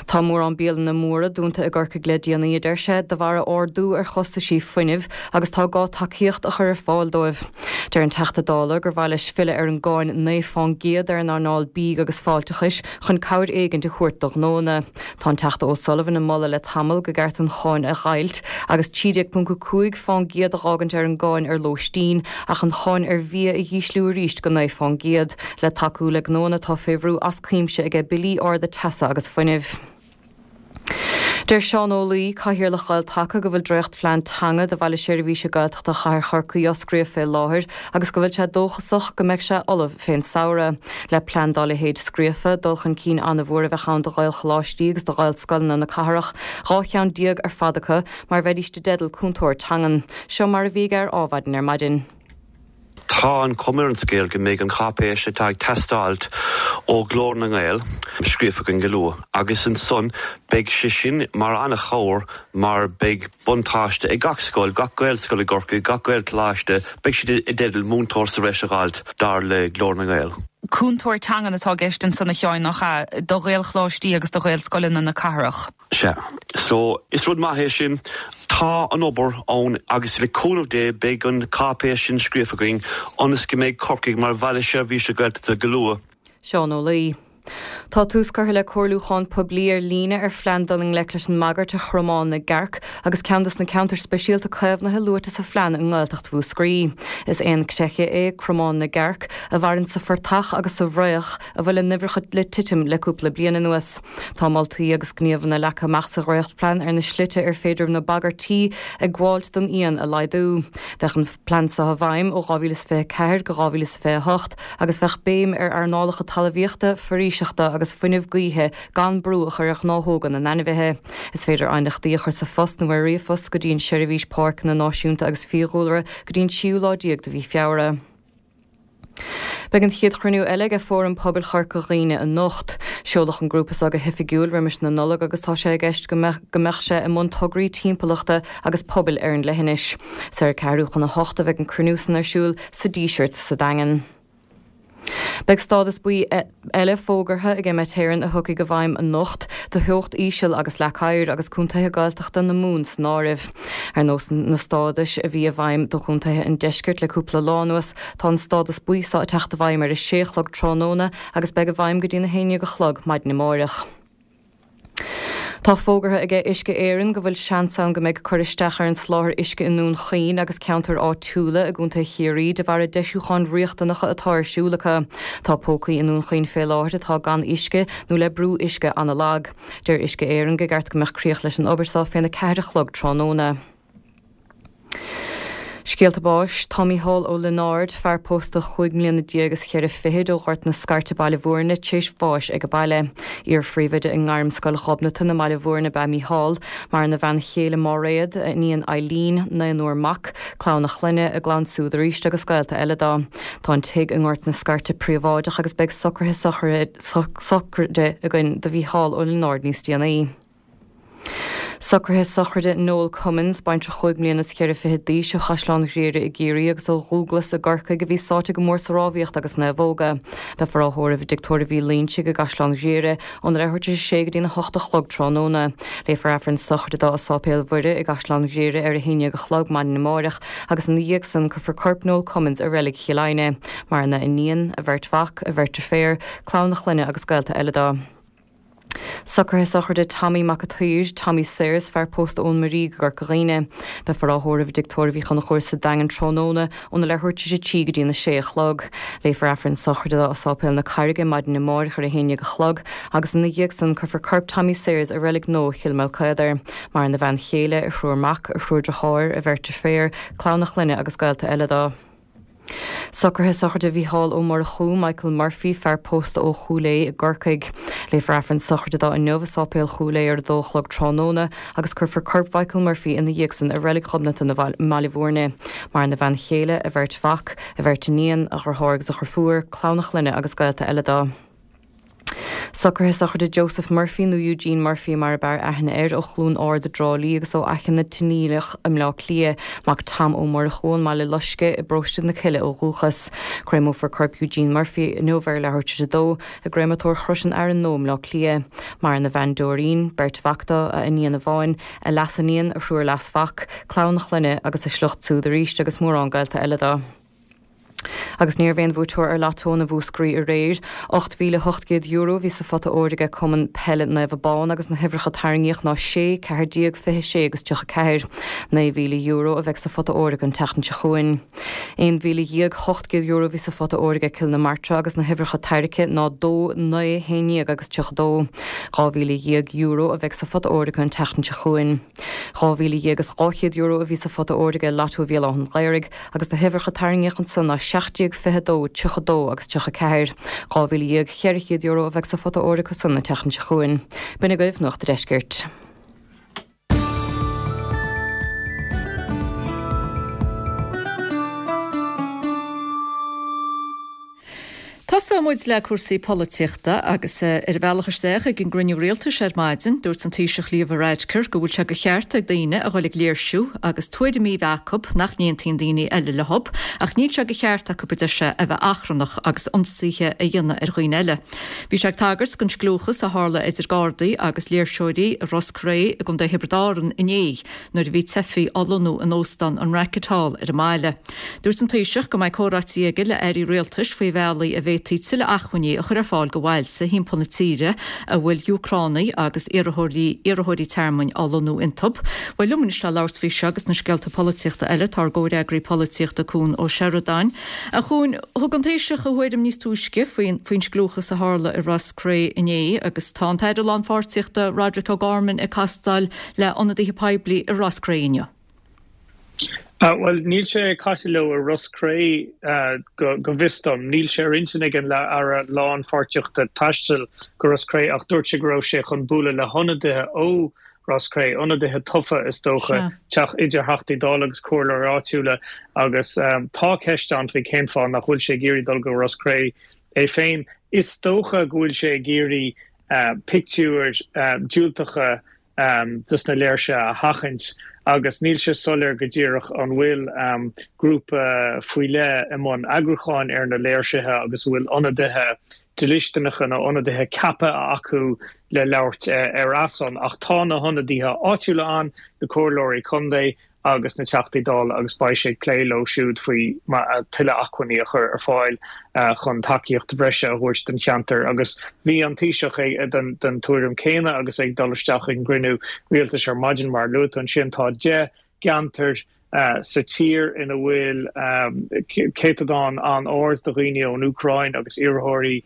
Tá mórán bialanna móra dúnta i gCorcaigh le déanaí, a deir sé, de bharr ardú ar chostaisí fuinnimh agus tá gá tacaíocht a chur ar fáil dóibh. Deir an Teachta Dála gur mhaith leis filleadh ar an gcáin 9 fán gcéad ar an earnáil bídh agus fáilteachais chun cabhair éigint a thabhairt do ghnóanna. Tá an Teachta O'Sullivan ag moladh le tamall go gceart an cháin a dheighilt agus 13.5 fán gcéad a dh'fhágaint ar an gcáin ar lóistín ach an cháin ar bhia a dh'ísliú arís go 9 fán gcéad le tacú le gnóanna atá fé bhrú as cuimse aige billí arda teasa agus fuinnimh. Deir Seán Ó Laoi, Cathaoirleach Ghael-Taca, go bhfuil dréachtphlean teanga do Bhaile Seirbhíse Gaeltachta Chathair Chorcaí á scríobh fé láthair agus go bhfuil sé dóchasach go mbeidh sé ullamh fén samhradh. Le plean dá leithéid scríofa, dul chun cinn an-mhór a bheadh ann do Ghaelcholáistí agus do Ghaelscoileanna na cathrach, 12 cheann ar fad acu, mar bheidís i dteideal cúntóir teangan. Seo mar a bhí aige ar Ádhmhaidin ar maidin. Tá an chuma ar an scéal go mbeidh an cháipéis atá ag teastáilt ó Ghlór na nGael scríofa againn go luath agus ansan beidh sé sin mar an-chabhair mar beidh buntáiste ag gach scoil, gach Gaelscoil i gCorcaigh, gach Gaelcholáiste, beidh siad i dteideal múinteoir sa bhreis a dh'fháilt dar le Glór na nGael. Cúntóir teangan atá i gceist ansan a Sheáin, nach ea, do Ghaelcholáistí agus do Ghaelscoileanna na cathrach? Sea. So, is rud maith é sin. Tá an obair ann agus le cúnamh Dé beidh an cáipéis sin scríofa againn ionas go mbeidh Corcaigh mar bhaile seirbhíse Gaeltachta go luath. Seán Ó Laoi. Tá tús curtha le comhairliúchán poiblí ar líne ar phlean dul i ngleic leis an mbagairt ar Chromán na gCearc agus ceann dos na ceantair speisialta caomhnaithe luaite sa phlean i nGaeltacht Mhúscraí. Is éan creiche é Cromán na gCearc a mhaireann sa phortach agus sa bhfraoch a bhfuil a n-uimhreacha le titim le cúpla bliain anuas. Tá moltaí agus gníomhanna leagtha amach sa dhréachtphlean ar na slite ar féidir na bagairtí ag gabháilt don éan a laghdú. Bheadh an plean seo i bhfeidhm ó 2024 go 2028 agus bheadh béim ar earnálacha talmhaíochta, foraoiseachta agus fuinneamh gaoithe gan brú a chur ar ghnáthóga na n-ainmhithe. Is féidir aighneachtaí a chur sa phost nó ar ríomhphost go dtí an Seirbhís Páirceanna Náisiúnta agus Fiadhúlra go dtí an tríú lá déag de mhí Feabhra. Beidh an chéad chruinniú eile aige Fóram Pobail Chorca Dhuibhne anocht. Seoladh an grúpa seo go hoifigiúil roimis na Nollag agus tá sé i gceist go mbeadh sé i mbun tograí timpeallachta agus pobail ar an leithinis. Is ar a ceathrú chun a hocht a bheidh an cruinniú san ar siúl sa Díseart sa Daingean. Beidh stádas buí eile fógartha ag Met Éireann a thiocfaidh i bhfeidhm anocht do theocht íseal agus leac oighir agus contaetha Gaeltachta na Mumhan san áireamh. Ar nós na stádais a bhí i bhfeidhm do chontaetha an deiscirt le cúpla lá anuas, tá an stádas buí seo ag teacht i bhfeidhm ar a sé a chlog tráthnóna agus beidh i bhfeidhm go dtí'n 11 a chlog maidin amáireach. Tá fógartha aige Uisce Éireann go bhfuil seans ann go mbeidh cur isteach ar an soláthar uisce i nDún Chaoin agus ceantair áitiúla i gContae Chiarraí de bharr deisiúcháin riachtanacha atá ar siúl acu. Tá pócaí i nDún Chaoin fé láthair atá gan uisce nó le brú uisce ana-lag. Deir Uisce Éireann go gceart go mbeadh críoch leis an obair seo féna ceathair a chlog tráthnóna. Scéalta báis, Tá Mícheál Ó Lionáird, fear pósta chúig mbliana déag is cheithre fichid ó Ghort na Scairte Baile Bhúirne, t'éis bháis ag a baile. Iar-phríomhoide i nGairmscoil Ghobnatan i mBaile Bhúirne ab ea Mícheál. Maireann a bhean chéile Máiréad, a iníon Eileen, naonúr mac, clann a chlainne, a gclann siúd arís agus gaolta eile dó. Tá an tigh i nGort na Scairte príobháideach agus beidh socruithe sochraide againn do Mhícheál Ó Lionáird níos déanaí. Socruithe sochraide Noel Cummins, baintreach chúig mbliana is cheithre fichid d'aois ó Chaisleán Ghriaire i gCiarraí agus ó Dhúglas i gCorcaigh a bhí sáite go mór sa rámhaíocht agus naomhóga. Beifear á thórramh i dTigh Tórraimh Uí Loingsigh i gCaisleán Ghriaire óna leathuair tar éis a sé go dtína hocht a chlog tráthnóna. Léifear Aifreann sochraide dó i Sáipéal Mhuire i gCaisleán Ghriaire ar a haon dhéag a chlog maidin amáireach agus ina dhiaidh san cuirfear corp Noel Cummins i reilig Chill Aidhne. Maireann a iníon, a bheirt mhac, a bheirt deirféar, clann a chlainne agus gaolta eile dó. Socruithe sochraide Tommy Mac a' tSaoir, Tommy Sayers, fear pósta ón Muirígh i gCorca Dhuibhne. Beifear á thórramh i dTigh Tórraimh Uí Chonchúir sa Daingean tráthnóna óna leathuair tar éis a trí go dtína sé a chlog. Léifear Aifreann sochraide dó i Sáipéal na Carraige maidin amáireach ar a haon dhéag a chlog agus ina dhiaidh san cuirfear corp Tommy Sayers i reilig nua Chill Maoilchaodair. Maireann a bhean chéile, a thriúr mac, a thriúr deartháir, a bheirt deirféar, clann a chlainne agus gaolta eile dó. Socruithe sochraide Mhícheál Ó Murchú, Michael Murphy, fear pósta ó Chúil Aodha i gCorcaigh. Léifear Aifreann sochraide dó inniu i Sáipéal Chúil Aodha ar a dó a chlog tráthnóna agus cuirfear corp Mhichael Murphy ina dhiaidh san i Reilig Ghobnatan i mBaile Bhúirne. Maireann a bhean chéile, a bheirt mhac, a bheirt iníon, a dheartháir agus a dheirfiúr, clann a chlainne agus gaolta eile dó. Socruithe sochraide Joseph Murphy, nó Eugene Murphy mar ab fhearr aithne air, ó Chluain Ard i dTrá Lí agus ó Fhaiche na Tinialach i mBleá Cliath, mac Tom Ó Murchú ón mBaile Loiscthe i bparóiste na Cille ó dhúchas. Créamófar corp Eugene Murphy inniu ar leathuair tar éis a dó i gcréamatóir Chrois an Fhearainn Nua i mBleá Cliath. Maireann a bhean Doreen, beirt mhac dó, a iníon amháin, a leasiníon, a thriúr leasmhac, clann a chlainne agus a shliocht siúd arís agus mórán gaolta eile dó. Agus ní raibh aon bhuaiteoir ar Lotto na Mhúscraí aréir. €8,800 a bhí sa phota óir aige Cumann Peile Naomh Abán agus na huimhreacha tarraingíodh ná 6, 14, 26 agus 34. €9,000 a bheidh sa phota óir acu an tseachtain seo chugainn. €11,800 a bhí sa phota óir aige Cill na Martra agus na huimhreacha tairgthe ná 2, 9, 11 agus 32. €12,000 a bheidh sa phota óir acu an tseachtain seo chugainn. €12,200 a bhí sa phota óir aige Lotto Bhéal Átha an Ghaorthaidh agus na huimhreacha tarraingíodh ansan ná 17, 22, 32 agus 34. €12,400 a bheidh sa phota óir acu san an tseachtain seo chugainn. B'in agaibh Nuacht a' Deiscirt. Tosóidh muid le cúrsaí polaitíochta agus ar a bhealach isteach ag an gcruinniú rialtais ar maidin, dúirt an Taoiseach Leo Varadkar go bhfuil sé de cheart ag daoine a dhul ag léirsiú agus tuairimí a bheith acu nach n-aontaíonn daoine eile leo ach níl sé de cheart acu, a deir sé, a bheith achrannach agus ionsaithe a dhéanamh ar dhaoine eile. Bhí sé ag tagairt don scliúchas a tharla idir Gardaí agus léirseoirí i Ros Cré i gContae Thiobraid Árann inné nuair a bhí teifigh á lonnú in óstán an Racket Hall ar an mbaile. Dúirt an Taoiseach go mbeidh comhráití aige le airí rialtais faoi bhealaí a bhféadfaí tuilleadh acmhainní a chur ar fáil do bhailte thimpeall na tíre a bhfuil Úcránaigh agus iarrthóirí iarrthóirí tearmainn á lonnú iontu. Bhuel, liom anois le labhairt faoi seo agus na scéalta polaitíochta eile tá ár gcomhfhreagraí polaitíochta Cuan Ó Seireadáin. A Chuain, thug an Taoiseach a thuairim níos túisce faoin faoin scliúchas a tharla i Ros Cré inné agus tá an tAire Lánpháirtíochta Roderic O'Gorman ag castáil le hionadaithe poiblí i Ros Cré inniu. Bhuel, níl sé ag casadh leo i Ros Cré go bhfios dom. Níl sé ar intinn ag an Aire Lánpháirtíochta taisteal go Ros Cré ach dúirt sé go raibh sé chun bualadh le hionadaithe ó Ros Cré, ionadaithe tofa is dócha, teach idir Theachtaí Dála agus comhairleoirí áitiúla agus tá ceist ann faoi cén fáth nach bhfuil sé ag iarraidh dul go Ros Cré é féin. Is dócha go bhfuil sé ag iarraidh pictiúir diúltacha dos na léirsithe a sheachaint agus níl sé soiléir go díreach an bhfuil grúpa faoi leith i mbun eagrúcháin ar na léirsithe agus an bhfuil ionadaithe dlisteanacha nó ionadaithe ceaptha acu le labhairt ar a son. Ach tá na hionadaithe áitiúla ann, na comhairleoirí contae, agus na Teachtaí Dála agus beidh sé ag plé leo siúd faoi tuilleadh acmhainní a chur ar fáil chun tacaíocht bhreise a thabhairt don cheantar. Agus bhí an Taoiseach den tuairim céanna agus é ag dul isteach ag an gcruinniú rialtais ar maidin. Mar a luaigh tú ansin, tá 10 gceantar sa tír ina bhfuil céatadán an-ard de dhaoine ón Úcráin agus iarrthóirí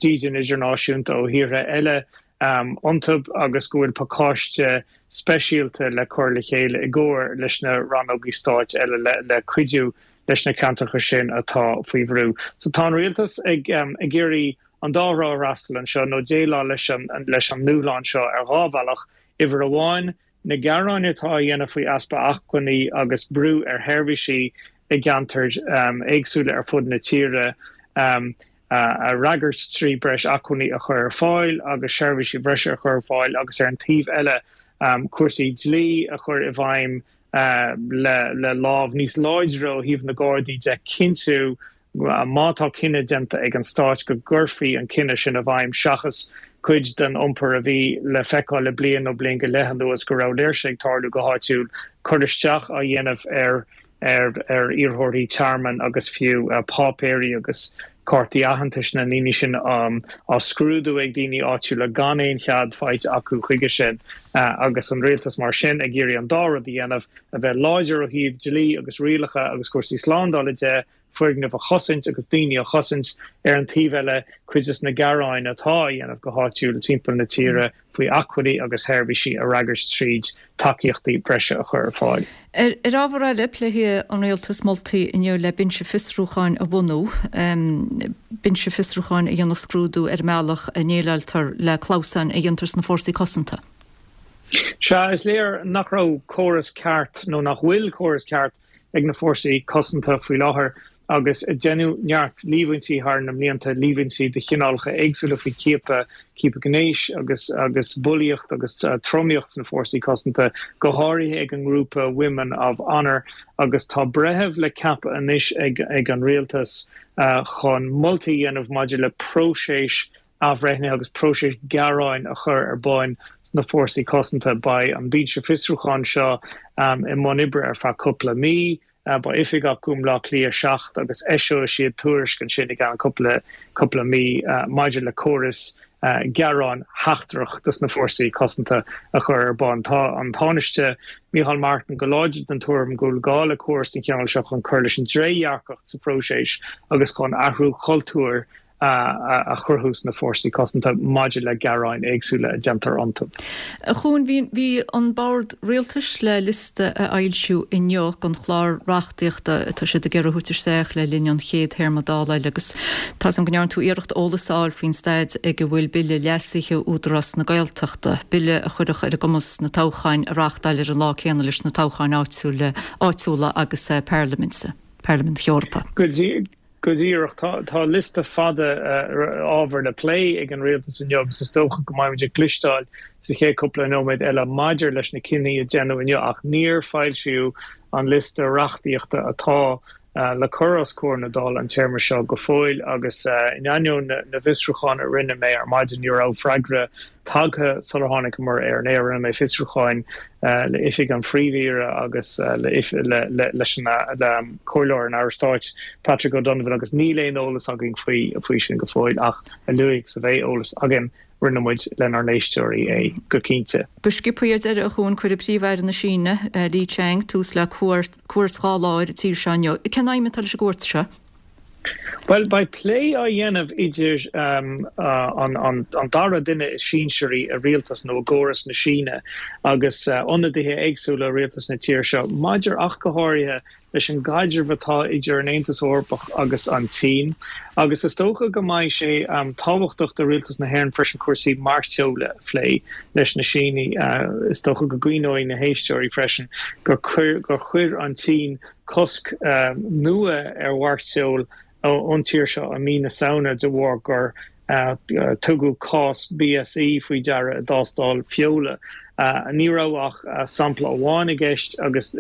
dídean idirnáisiúnta ó thíortha eile iontu agus go bhfuil pacáiste speisialta le cur le chéile i gcomhar leis na rannógaí stáit eile le cuidiú leis na ceantracha sin atá faoi bhrú. So tá an rialtas ag iarraidh an dá thrá a fhreastal anseo nó déileáil leis an leis an ndúshlán seo ar dhá bhealach. Uimhir amháin, na gearáin atá á dhéanamh faoi easpa acmhainní agus brú ar sheirbhísí i gceantair éagsúla ar fud na tíre. a fhreagairt trí breis acmhainní a chur ar fáil agus seirbhísí bhreise a chur ar fáil agus ar an taobh eile. cúrsaí dlí a chur i bhfeidhm le lámh níos láidre ó thaobh na Gardaí de, cinntiú má tá cinneadh déanta ag an Stát go gcuirfí an cinneadh sin i bhfeidhm seachas cuid den iompar a bhí le feiceáil le bliain nó bliain go leith anuas go raibh léirse ag tarlú go háitiúil, cur isteach á dhéanamh ar ar iarrthóirí tearmainn agus fiú páipéirí agus cártaí aitheantais na ndaoine sin á scrúdú ag daoine áitiúla gan aon chead faighte acu chuige sin agus an rialtas mar sin ag iarraidh an dá rud a dhéanamh, a bheith láidir ó thaobh dlí agus rialacha agus cúrsaí slándála de, foirgnimh a chosaint agus daoine a chosaint, ar an taobh eile cuid des na gearáin atá á dhéanamh go háitiúil timpeall na tíre faoi acmhainní agus sheirbhísí a fhreagairt tríd tacaíochtaí breise a chur ar fáil. Ar ábhar eile, pléifidh an Rialtas moltaí inniu le binse fiosrúcháin a bhunú, binse fiosrúcháin a dhéanfadh scrúdú ar an mbealach a ndéileáiltear le clamhsáin a dhéantar sna fórsaí cosanta. Sea, is léir nach raibh córas ceart, nó nach bhfuil córas ceart, ag na fórsaí cosanta faoi láthair agus deineadh neart líomhaintí thar na mblianta, líomhaintí de chineálacha éagsúla faoi chiapadh, ciapadh gnéis agus agus bulaíocht agus tromaíocht sna fórsaí cosanta, go háirithe ag an ngrúpa Women of Honour agus tá breitheamh le ceapadh anois ag ag an rialtas chun moltaí a dhéanamh maidir le próiseas athbhreithnithe agus próiseas gearáin a chur ar bun sna Fórsaí Cosanta. Beidh an binse fiosrúcháin seo i mbun oibre ar feadh cúpla mí. Beidh oifig acu i mBleá Cliath 7 agus eiseoidh siad tuairisc ansin i gceann cúpla cúpla mí maidir le córas gearáin sheachtrach dos na Fórsaí Cosanta a chur ar bun. Tá an Tánaiste Micheál Martin go láidir den tuairim go bhfuil gá le córas den chineál seo chun cur leis an dtrédhearcacht sa phróiseas agus chun athrú cultúir a chruthú sna Fórsaí Cosanta maidir le gearáin éagsúla a déantar iontu. A Chuain, bhí bhí an Bord Rialtais le liosta a fhoilsiú inniu den chlár reachtaíochta atá siad ag iarraidh a thabhairt isteach le linn an chéad théarma Dála eile agus tá 's agam go ndearna tú iarracht eolas a fháil faoin staid ag a bhfuil bille leasaithe Údarás na Gaeltachta, bille a chuirfeadh ar a gcumas na toghcháin a reáchtáil ar an lá céanna leis na toghcháin áitiúla áitiúla agus Parlaiminte, Parlaimint na hEorpa. Go díreach. Tá liosta fada ábhar le plé ag an rialtas inniu agus is dócha go mbeidh muid ag cloisteáil sa chéad cúpla nóiméad eile maidir leis na cinntí a déanadh inniu ach níor foilsíodh an liosta reachtaíochta atá le cur os comhair na Dála an téarma seo go fóill agus in ainneoin na bhfiosrúchán a rinne mé ar maidin ní raibh freagra tagtha sular tháinigeamar ar an aer. Rinne mé fiosrúcháin le Oifig an Phríomh-Aoire agus leis an Comhairleoir an Aire Stáit, Patrick O'Donovan, agus níl aon eolas againn faoi sin go fóill ach a luaithe is a bheidh eolas againn, roinnfidh muid lenár n-éisteoirí é go cinnte. Go sciobtha ar deireadh, a Chuain, cuirfidh Príomh-Aire na Síne, Li Qiang, tús le cuairt dhá lá ar an tír seo inniu. Cén aidhm atá leis an gcuairt seo? Bhuel, beidh plé á dhéanamh idir an dara duine is sinsearaí i rialtas nó i gcóras na Síne agus ionadaithe éagsúla rialtas na tíre seo maidir ach go háirithe leis an gcaidreamh atá idir an Aontas Eorpach agus an tSín. Agus is dócha go mbeidh sé tábhachtach do rialtas na hÉireann freisin cúrsaí mairteola a phlé leis na Sínigh. Is dócha go gcuimhneoidh na héisteoirí freisin gur chuir an tSín cosc nua ar mhairteoil ón tír seo i mí na Samhna de bharr gur tugadh cás BSE faoi deara i dtástáil feola. Ní raibh ach sampla amháin i gceist agus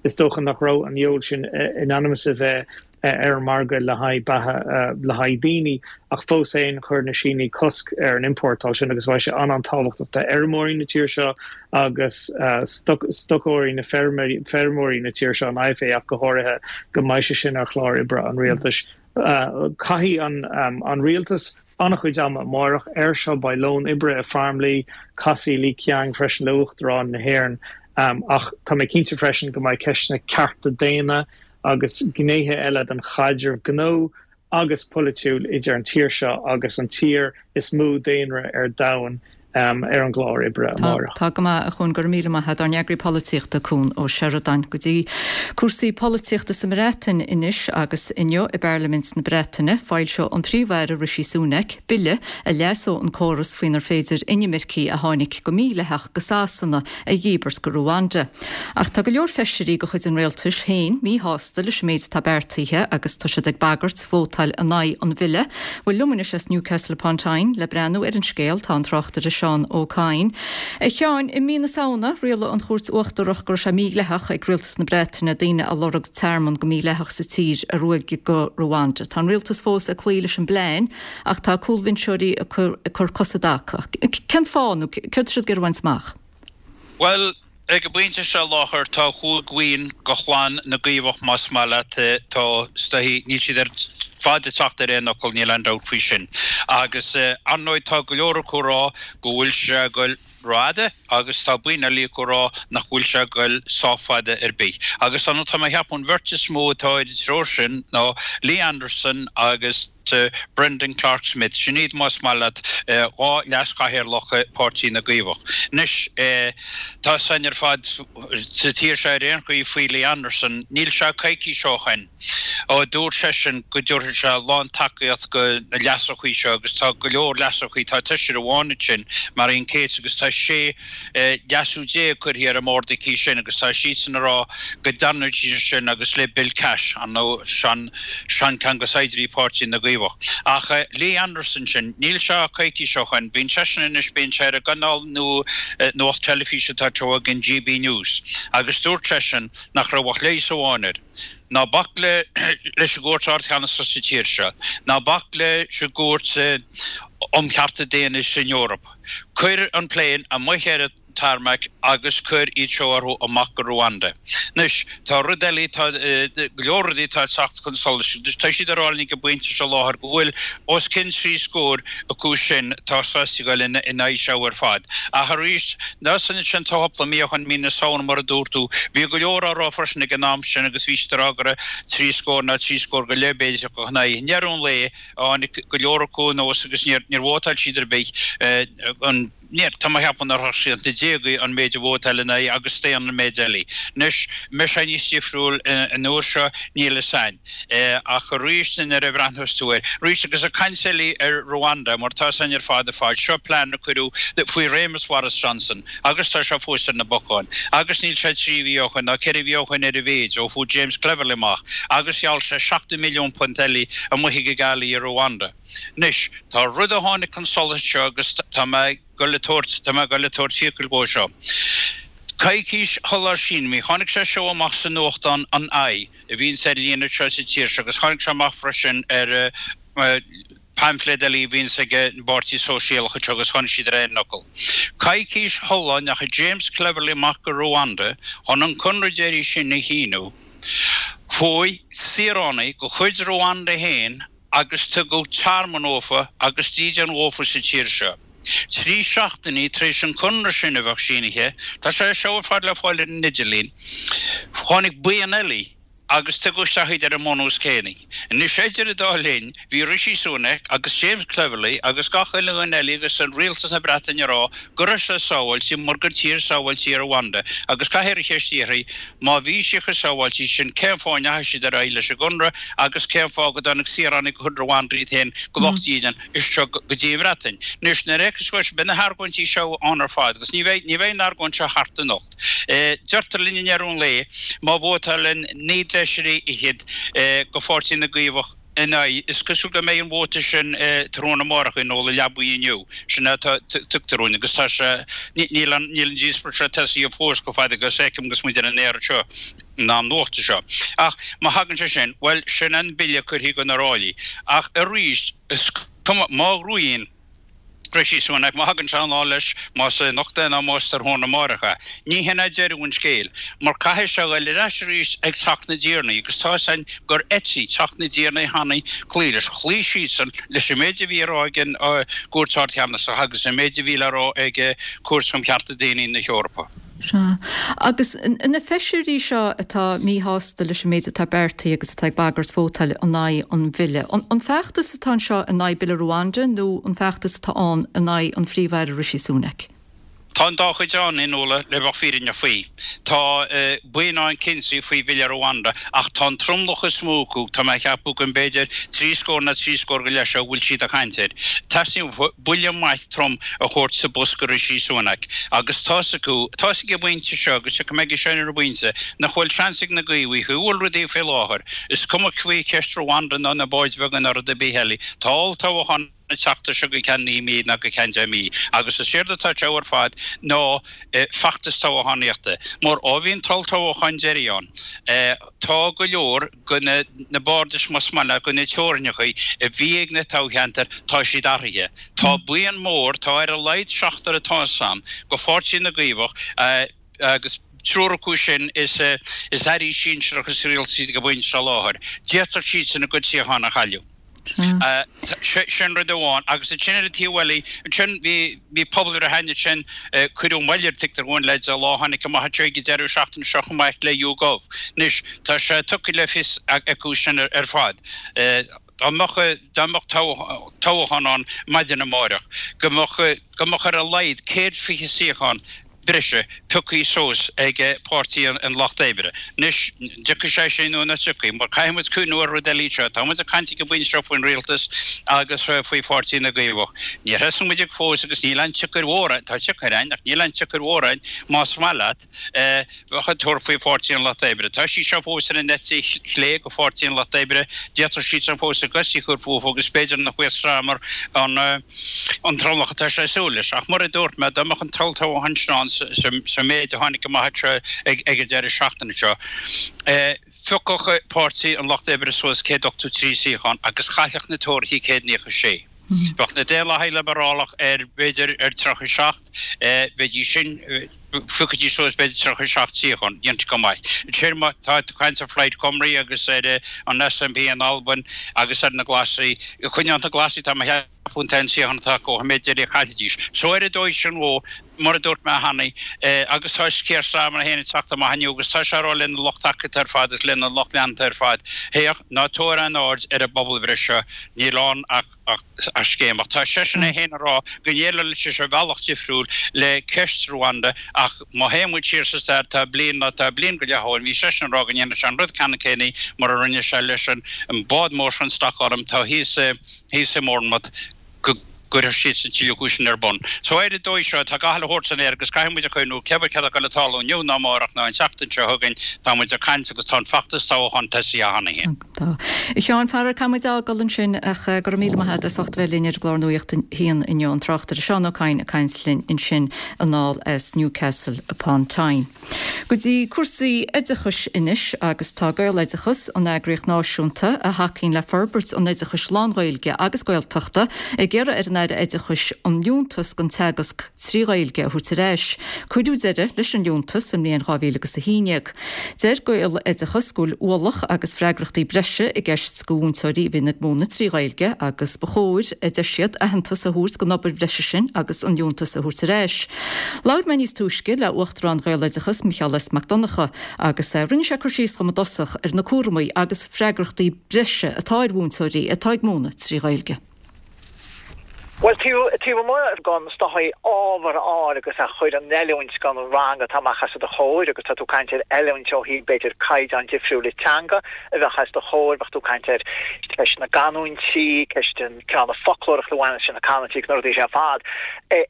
is dócha nach raibh an fheoil sin in ainm is a bheith ar an margadh le haghaidh beatha le haghaidh daoine, ach fós féin chuir na Sínigh cosc ar an iompórtáil sin agus bheadh sé an-an-tábhachtach d'fheirmeoirí na tíre seo agus stocóirí na feirmeoirí na tíre seo, an IFA ach go háirithe, go mbeidh sé sin ar chlár oibre an rialtais. Caithfidh an rialtas an-chuid ama amárach air seo, beidh lón oibre i Farmleigh, casfaidh Li Qiang freisin le Uachtarán na hÉireann ach tá mé cinnte freisin go mbeidh ceisteanna cearta daonna agus gnéithe eile den chaidreamh gnó agus polaitiúil idir an tír seo agus an tír is mó daonra ar domhan ar an gclár oibre amárach. Tá go maith, a Chuain, go raibh míle maith agat, ár n-eagraí polaitíochta, Cuan Ó Seireadáin. Go dtí cúrsaí polaitíochta sa mBreatain anois agus inniu i bParlaimint na Breataine, foilseoidh an Príomh-Aire Rishi Sunak bille a leasóidh an córas faoinar féidir inimircigh a tháinig go mídhleathach go Sasana a dhíbirt go Ruanda. Ach tá go leor feisirí de chuid an rialtais féin míshásta leis an méid atá beartaithe agus tá siad ag bagairt vótáil in aghaidh an bhille. Bhuel, liom anois as Newcastle upon Tyne le breathnú ar an scéal tá an tráchtaire Seán. Seán Ó Cadhain. A Sheáin, i mí na Samhna, rialaigh an Chúirt Uachtarach go raibh sé mídhleathach ag Rialtas na Breataine daoine a lorg tearmann go mídhleathach sa tír a ruaigeadh go Rwanda. Tá an Rialtas fós ag cloí leis an bplean ach tá cúlbhinseoirí ag cur cos i dtaca. Cén fáth nó céard tá siad ag iarraidh a bhaint amach? Bhuel, ag an bpointe seo láthair tá chúig bhuíon de chlann na gCaomhach más maith leat, tá, is dóichí, níl siad ar fad ag teacht ar aon fhocal, níl aon dabht faoi sin. Agus ar ndóigh tá go leor acu ag rá go bhfuil sé ag goil rófhada agus tá buíon eile acu ag rá nach bhfuil sé ag goil sách fada ar bith. Agus ar ndóigh tá mé ag ceapadh an bheirt is mó atá ar an treo sin ná Lee Anderson agus, Brendan Clark Smith, sin iad más maith leat, 2 leaschathaoirleach Páirtí na gCaomhach. Anois, tá 's againn ar fad sa tír seo ar aon chaoi faoi Lee Anderson, níl sé coicís ó shoin ó dúirt seisean go dtabharfadh sé lán-tacaíocht go na leasuchaí seo agus tá go leor leasuchaí, tá seisear amháin ansin, Marian Cates, agus tá 16 leasú curtha ar an mbord aici sin agus tá siadsan ag rá go dtarraingeoidh siad sin agus le Bill Cash, ar ndóigh, seancheann de saighdiúirí Páirtí na gCaomhach. Ach Lee Anderson sin, níl sé coicís ó shoin, bíonn seisean anois, bíonn sé ar an gcainéal nua nuacht teilifíse atá anseo ag an GB News agus dúirt seisean nach raibh ach leigheas amháin air. Ná bac leis an gCúirt Ardcheannasach sa tír seo, ná bac leis an gCúirt um Chearta Daonna san Eoraip. Cuir an plane amuigh ar an tarmac agus cuir iad seo orthu amach go Rwanda. Anois, tá rud eile, tá go leor rudaí atá ag teacht chun solais agus tá siad ag rá linn ag an bpointe seo láthair go bhfuil os cionn 30 acu sin atá sásta a ghoil ina aghaidh seo ar fad. Ach arís, ná san sin tá cúpla mí ó shoin, mí na Samhna mar a dúirt tú, bhí go leor á rá freisin ag an am sin agus bhí siad ag rá go raibh 30 ná 30 go leith b'fhéidir acu ina aghaidh. I ndeireadh an lae, tháinig go leor acu anuas agus níor vótáil siad ar bith an Níor, tá mé a cheapadh nár shroich siad na déagaí an méid a vótáil ina aghaidh agus staon an méid eile. Anois, an mbeidh sé níos difriúil an uair seo, níl fhios a'inn. Ach arís, nuair a bhreathnós tú air, arís, agus ag caint eile ar Rwanda, mar tá 'fhios a'inn ar fad ar fad, seo plean a cuireadh faoi réimeas Bhoris Johnson agus tá sé fós ar na bacáin. Agus níl sé 3 mhí ó shoin, ná 4 mhí ó shoin ar a mhéid, ó fuair James Cleverly amach agus gheall sé 70 milliún punt eile amuigh ag an gcaillí i Rwanda. Anois, tá rud a tháinig chun solais anseo agus tá mé ag goil a tabhairt, tá mé ag goil a tabhairt fiacail dhó seo. Coicís shular shínigh, tháinig sé seo amach sa nuachtán An Eye, a bhíonns ar líne anseo sa tír seo agus tháinig sé amach freisin ar paimfléad eile a bhíonns ag an bPáirtí Sóisialach anseo agus tháinig siad ar aon fhocal. Coicís shula ndeachaigh James Cleverly amach go Rwanda chun an conradh deiridh sin a shíniú, fuaigh saoránaigh de chuid Rwanda féin, agus tugadh tearmann dhófa agus dídean dhófa sa tír seo. 3 seachtainí tar éis an conradh sin a bheith sínithe, tá sé seo ar fad le fáil ar an idirlíon, tháinig buíon eile agus tugadh isteach iad ar an mbunús céanna. Anois idir an dá linn, bhí Rishi Sunak agus James Cleverly agus gach uile dhuine eile agus an rialtas na Breataine ag rá go raibh sé sábháilte mar gur tír sábháilte í Rwanda agus caithfear an cheist a fhiafraí má bhí sí chomh sábháilte sin cén fáth a ndeachaigh siad ar aghaidh leis an gconradh agus cén fáth go dtáinig saoránaigh de chuid Rwanda iad féin de lucht dídean isteach go dtí an Bhreatain. Anois, nuair a fheiceas tú, beidh na hargóintí seo ann ar fad agus ní bheidh, ní bheidh an argóint seo thart anocht. Deirtear linn i ndeireadh an lae, má vótálann 19 bhfeisirí de Pháirtí na gCaomhach ina aghaidh, is cosúil go mbeidh an vóta sin tráthnóna amárach in ól i leabaidh inniu. Sin é atá tugtar dúinn agus tá sé, níl an, níl an díospóireacht seo tosaithe fós chomh fada agus a fheicim agus muid ar an aer anseo. in am nuachta seo. Ach má thagann sé sin, bhuel, sin an bille curtha chun na ráillí. Ach arís, is cuma, má ghnóthaíonn Rishi Sunak, má thagann sé anall leis, más anocht é ná más tráthnóna amárach é, ní hin é deireadh an scéil. Mar caithfidh sé a ghoil ar ais arís ag Teach na dTiarnaí agus tá 'fhios a'inn gur eitigh Teach na dTiarnaí cheana cloí leis. Chloígh siadsan leis an méid a bhí a rá ag an gCúirt Ard-Cheannasach agus an méid a bhí le rá ag Cúirt um Chearta Daonna na hEorpa. Sea. Agus na feisirí seo atá míshásta leis an méid atá beartaithe agus atá ag bagairt vótáil in aghaidh an bhille, an feachtas atá anseo in aghaidh Bille Rwanda nó an feachtas atá ann in aghaidh an Phríomh-Aire Rishi Sunak? Tá an dá chuid ann, a Fhionnuala, le bheith fírinneach faoi. Tá buíon ann cinnte faoi Bhille Rwanda ach tá an tromlach is mó acu, tá mé a cheapadh go mb'fhéidir 30 nó 30 go leith seo a bhfuil siad ag caint air. Teastaíonn uathu buille maith trom a thabhairt sa bosca Rishi Sunak agus tá's acu, tá's ag an bpointe seo agus tiocfaidh mé aige sin ar an bpointe, nach bhfuil seans ag na Caomhaigh, faoi bhfuil rudaí faoi láthair, is cuma faoi cheist Rwanda ná na báid bheaga ná rud ar bith eile, tá olltoghchán. an tseachtain seo go ceann 9 mí ná go ceann 10 mí. Agus is éard atá anseo ar fad ná feachtas toghchánaíochta. Mar ó bhí an t-olltoghchán deiridh ann, tá go leor de na bardais, más maith leat, de na teorainneacha a bhí ag na toghcheantair, tá siad athraithe. Tá buíon mór, tá ar a laghad seachtar atá 'fhios a'm, de Pháirtí na gCaomhach, agus triúr acu sin is airí sinsearacha sa rialtas iad ag an bpointe seo láthair. D'fhéadfadh siadsan a gcuid suíochán a chailleadh. Sin rud amháin. Agus ansin ar an taobh eile, ansin bhí bhí pobalbhreith ann ansin, cuireadh moill air tuigtear dhúinn leis an lá tháinig amach anseo ag an deireadh seachtaine seo chomh maith le YouGov. Anois tá sé tugtha le fios acu sin ar fad. Dá mbeadh dá mbeadh toghchán ann maidin amáireach, go mbeadh go mbeadh ar a laghad 120 suíochán breise pioctha suas ag Páirtí an Lucht Oibre. Anois, an dtiocfaidh sé sin nó nach dtiocfaidh? Mar caithfidh muid cuimhniú ar rud eile anseo. Tá muid ag caint ag an bpointe seo faoin rialtas agus faoi Pháirtí na gCaomhach. Níor thosaigh muid ag fós agus níl aon tsiocair mhór ann, tá siocair ann ach níl aon tsiocair mhór ann más maith leat bheadh ag tabhairt faoi Pháirtí an Lucht Oibre. Tá siad seo fós ar an eite chlé de Pháirtí an Lucht Oibre, d'fhéadfadh siadsan fós a gcosa a chur fúthu agus b'fhéidir nach bhfaigheadh Starmer an an tromlach atá sé ag súil leis. Ach mar a dúirt mé, dá mbeadh an t-olltoghchán sin ann sa méid a tháinig amach anseo ag an deireadh seachtaine seo, phiocfadh Páirtí an Lucht Oibre suas 183 suíochán agus chaillfeadh na Tóraithe 196. Bheadh na Daonlathaigh Liobrálach ar, b'fhéidir, ar 37, bheidís sin, phiocfaidís suas b'fhéidir 37 suíochán, déanta go maith. Ansin má tá tú ag caint ar Phlaid Cymru agus ar an SNP in Albain agus ar na Glasaigh, coinneoidh na Glasaigh, tá mé a cheapadh, an t-aon suíochán atá acu, an méid deiridh a chaillfidís. So ar an dóigh sin dhó, mar a dúirt mé cheana, agus tá Keir Starmer féin ag teacht amach inniu agus tá sé ag rá lena lucht tacaíochta ar fad agus lena lucht leanta ar fad, Féach, ná tabhair aon aird ar an bpobalbhreith seo, níl ann ach scéim. Ach tá seisean é féin ag rá go ndéileálfaidh sé ar bhealach difriúil le ceist Rwanda ach má théann muid siar sa stair tá bliain nó tá bliain go leith ó shin bhí seisean ag rá go ndéanfadh sé an rud ceannann céanna mar a rinne sé leis an bád mór sin Stockholm atá thíos i mBournemouth go gcuirfeadh siadsan tuilleadh cúiseanna ar bun. So ar an dóigh seo, tá gach uile shórt san aer agus caithfidh muid a chuimhniú, cé bith céard atá ag dul ag tarlú inniu ná amárach ná an tseachtain seo chugainn, tá muid ag caint agus tá an feachtas toghcháin tosaithe cheana féin. Tá. A Sheáin, faraor, caithfidh muid a fhágáil ansin ach go raibh míle maith agat as ucht a bheith linn ar an gclár Nuacht a hAon inniu, an tráchtaire Seán Ó Cadhain ag caint linn ansin anall as Newcastle upon Tyne. Go dtí cúrsaí oideachais anois agus tá Gaeloideachas, an eagraíocht náisiúnta a thacaíonn le forbairt an oideachais lán-Ghaeilge agus Gaeltachta, ag iarraidh ar an Aire Oideachais an liúntas don teagasc trí Ghaeilge a thabhairt ar ais. Cuireadh deireadh leis an liúntas sa mbliain 2011. Deir Gaeloideachas go bhfuil ualach agus freagrachtaí breise i gceist do mhúinteoirí a bhíonn ag múineadh trí Ghaeilge agus ba chóir, a deir siad, aitheantas a thabhairt don obair bhreise sin agus an liúntas a thabhairt ar ais. Labhair mé níos túisce le Uachtarán Ghaeloideachas, Micheál S. Mac Donncha, agus rinne sé cur síos dhom i dtosach ar na cúramaí agus freagrachtaí breise atá ar mhúinteoirí atá ag múineadh trí Ghaeilge. Bhuel, taobh amuigh den is dóichí ábhar a fháil agus a chur in oiliúint don rang atá amach os do chomhair agus tá tú ag caint ar oiliúint ó thaobh b'fhéidir caighdeán difriúil teanga a bheadh os do chomhair, bheadh tú ag caint ar ceist na gcanúintí, ceist an cineál na foclóireachta a bhaineann leis na canúintí agus na rudaí sin ar fad.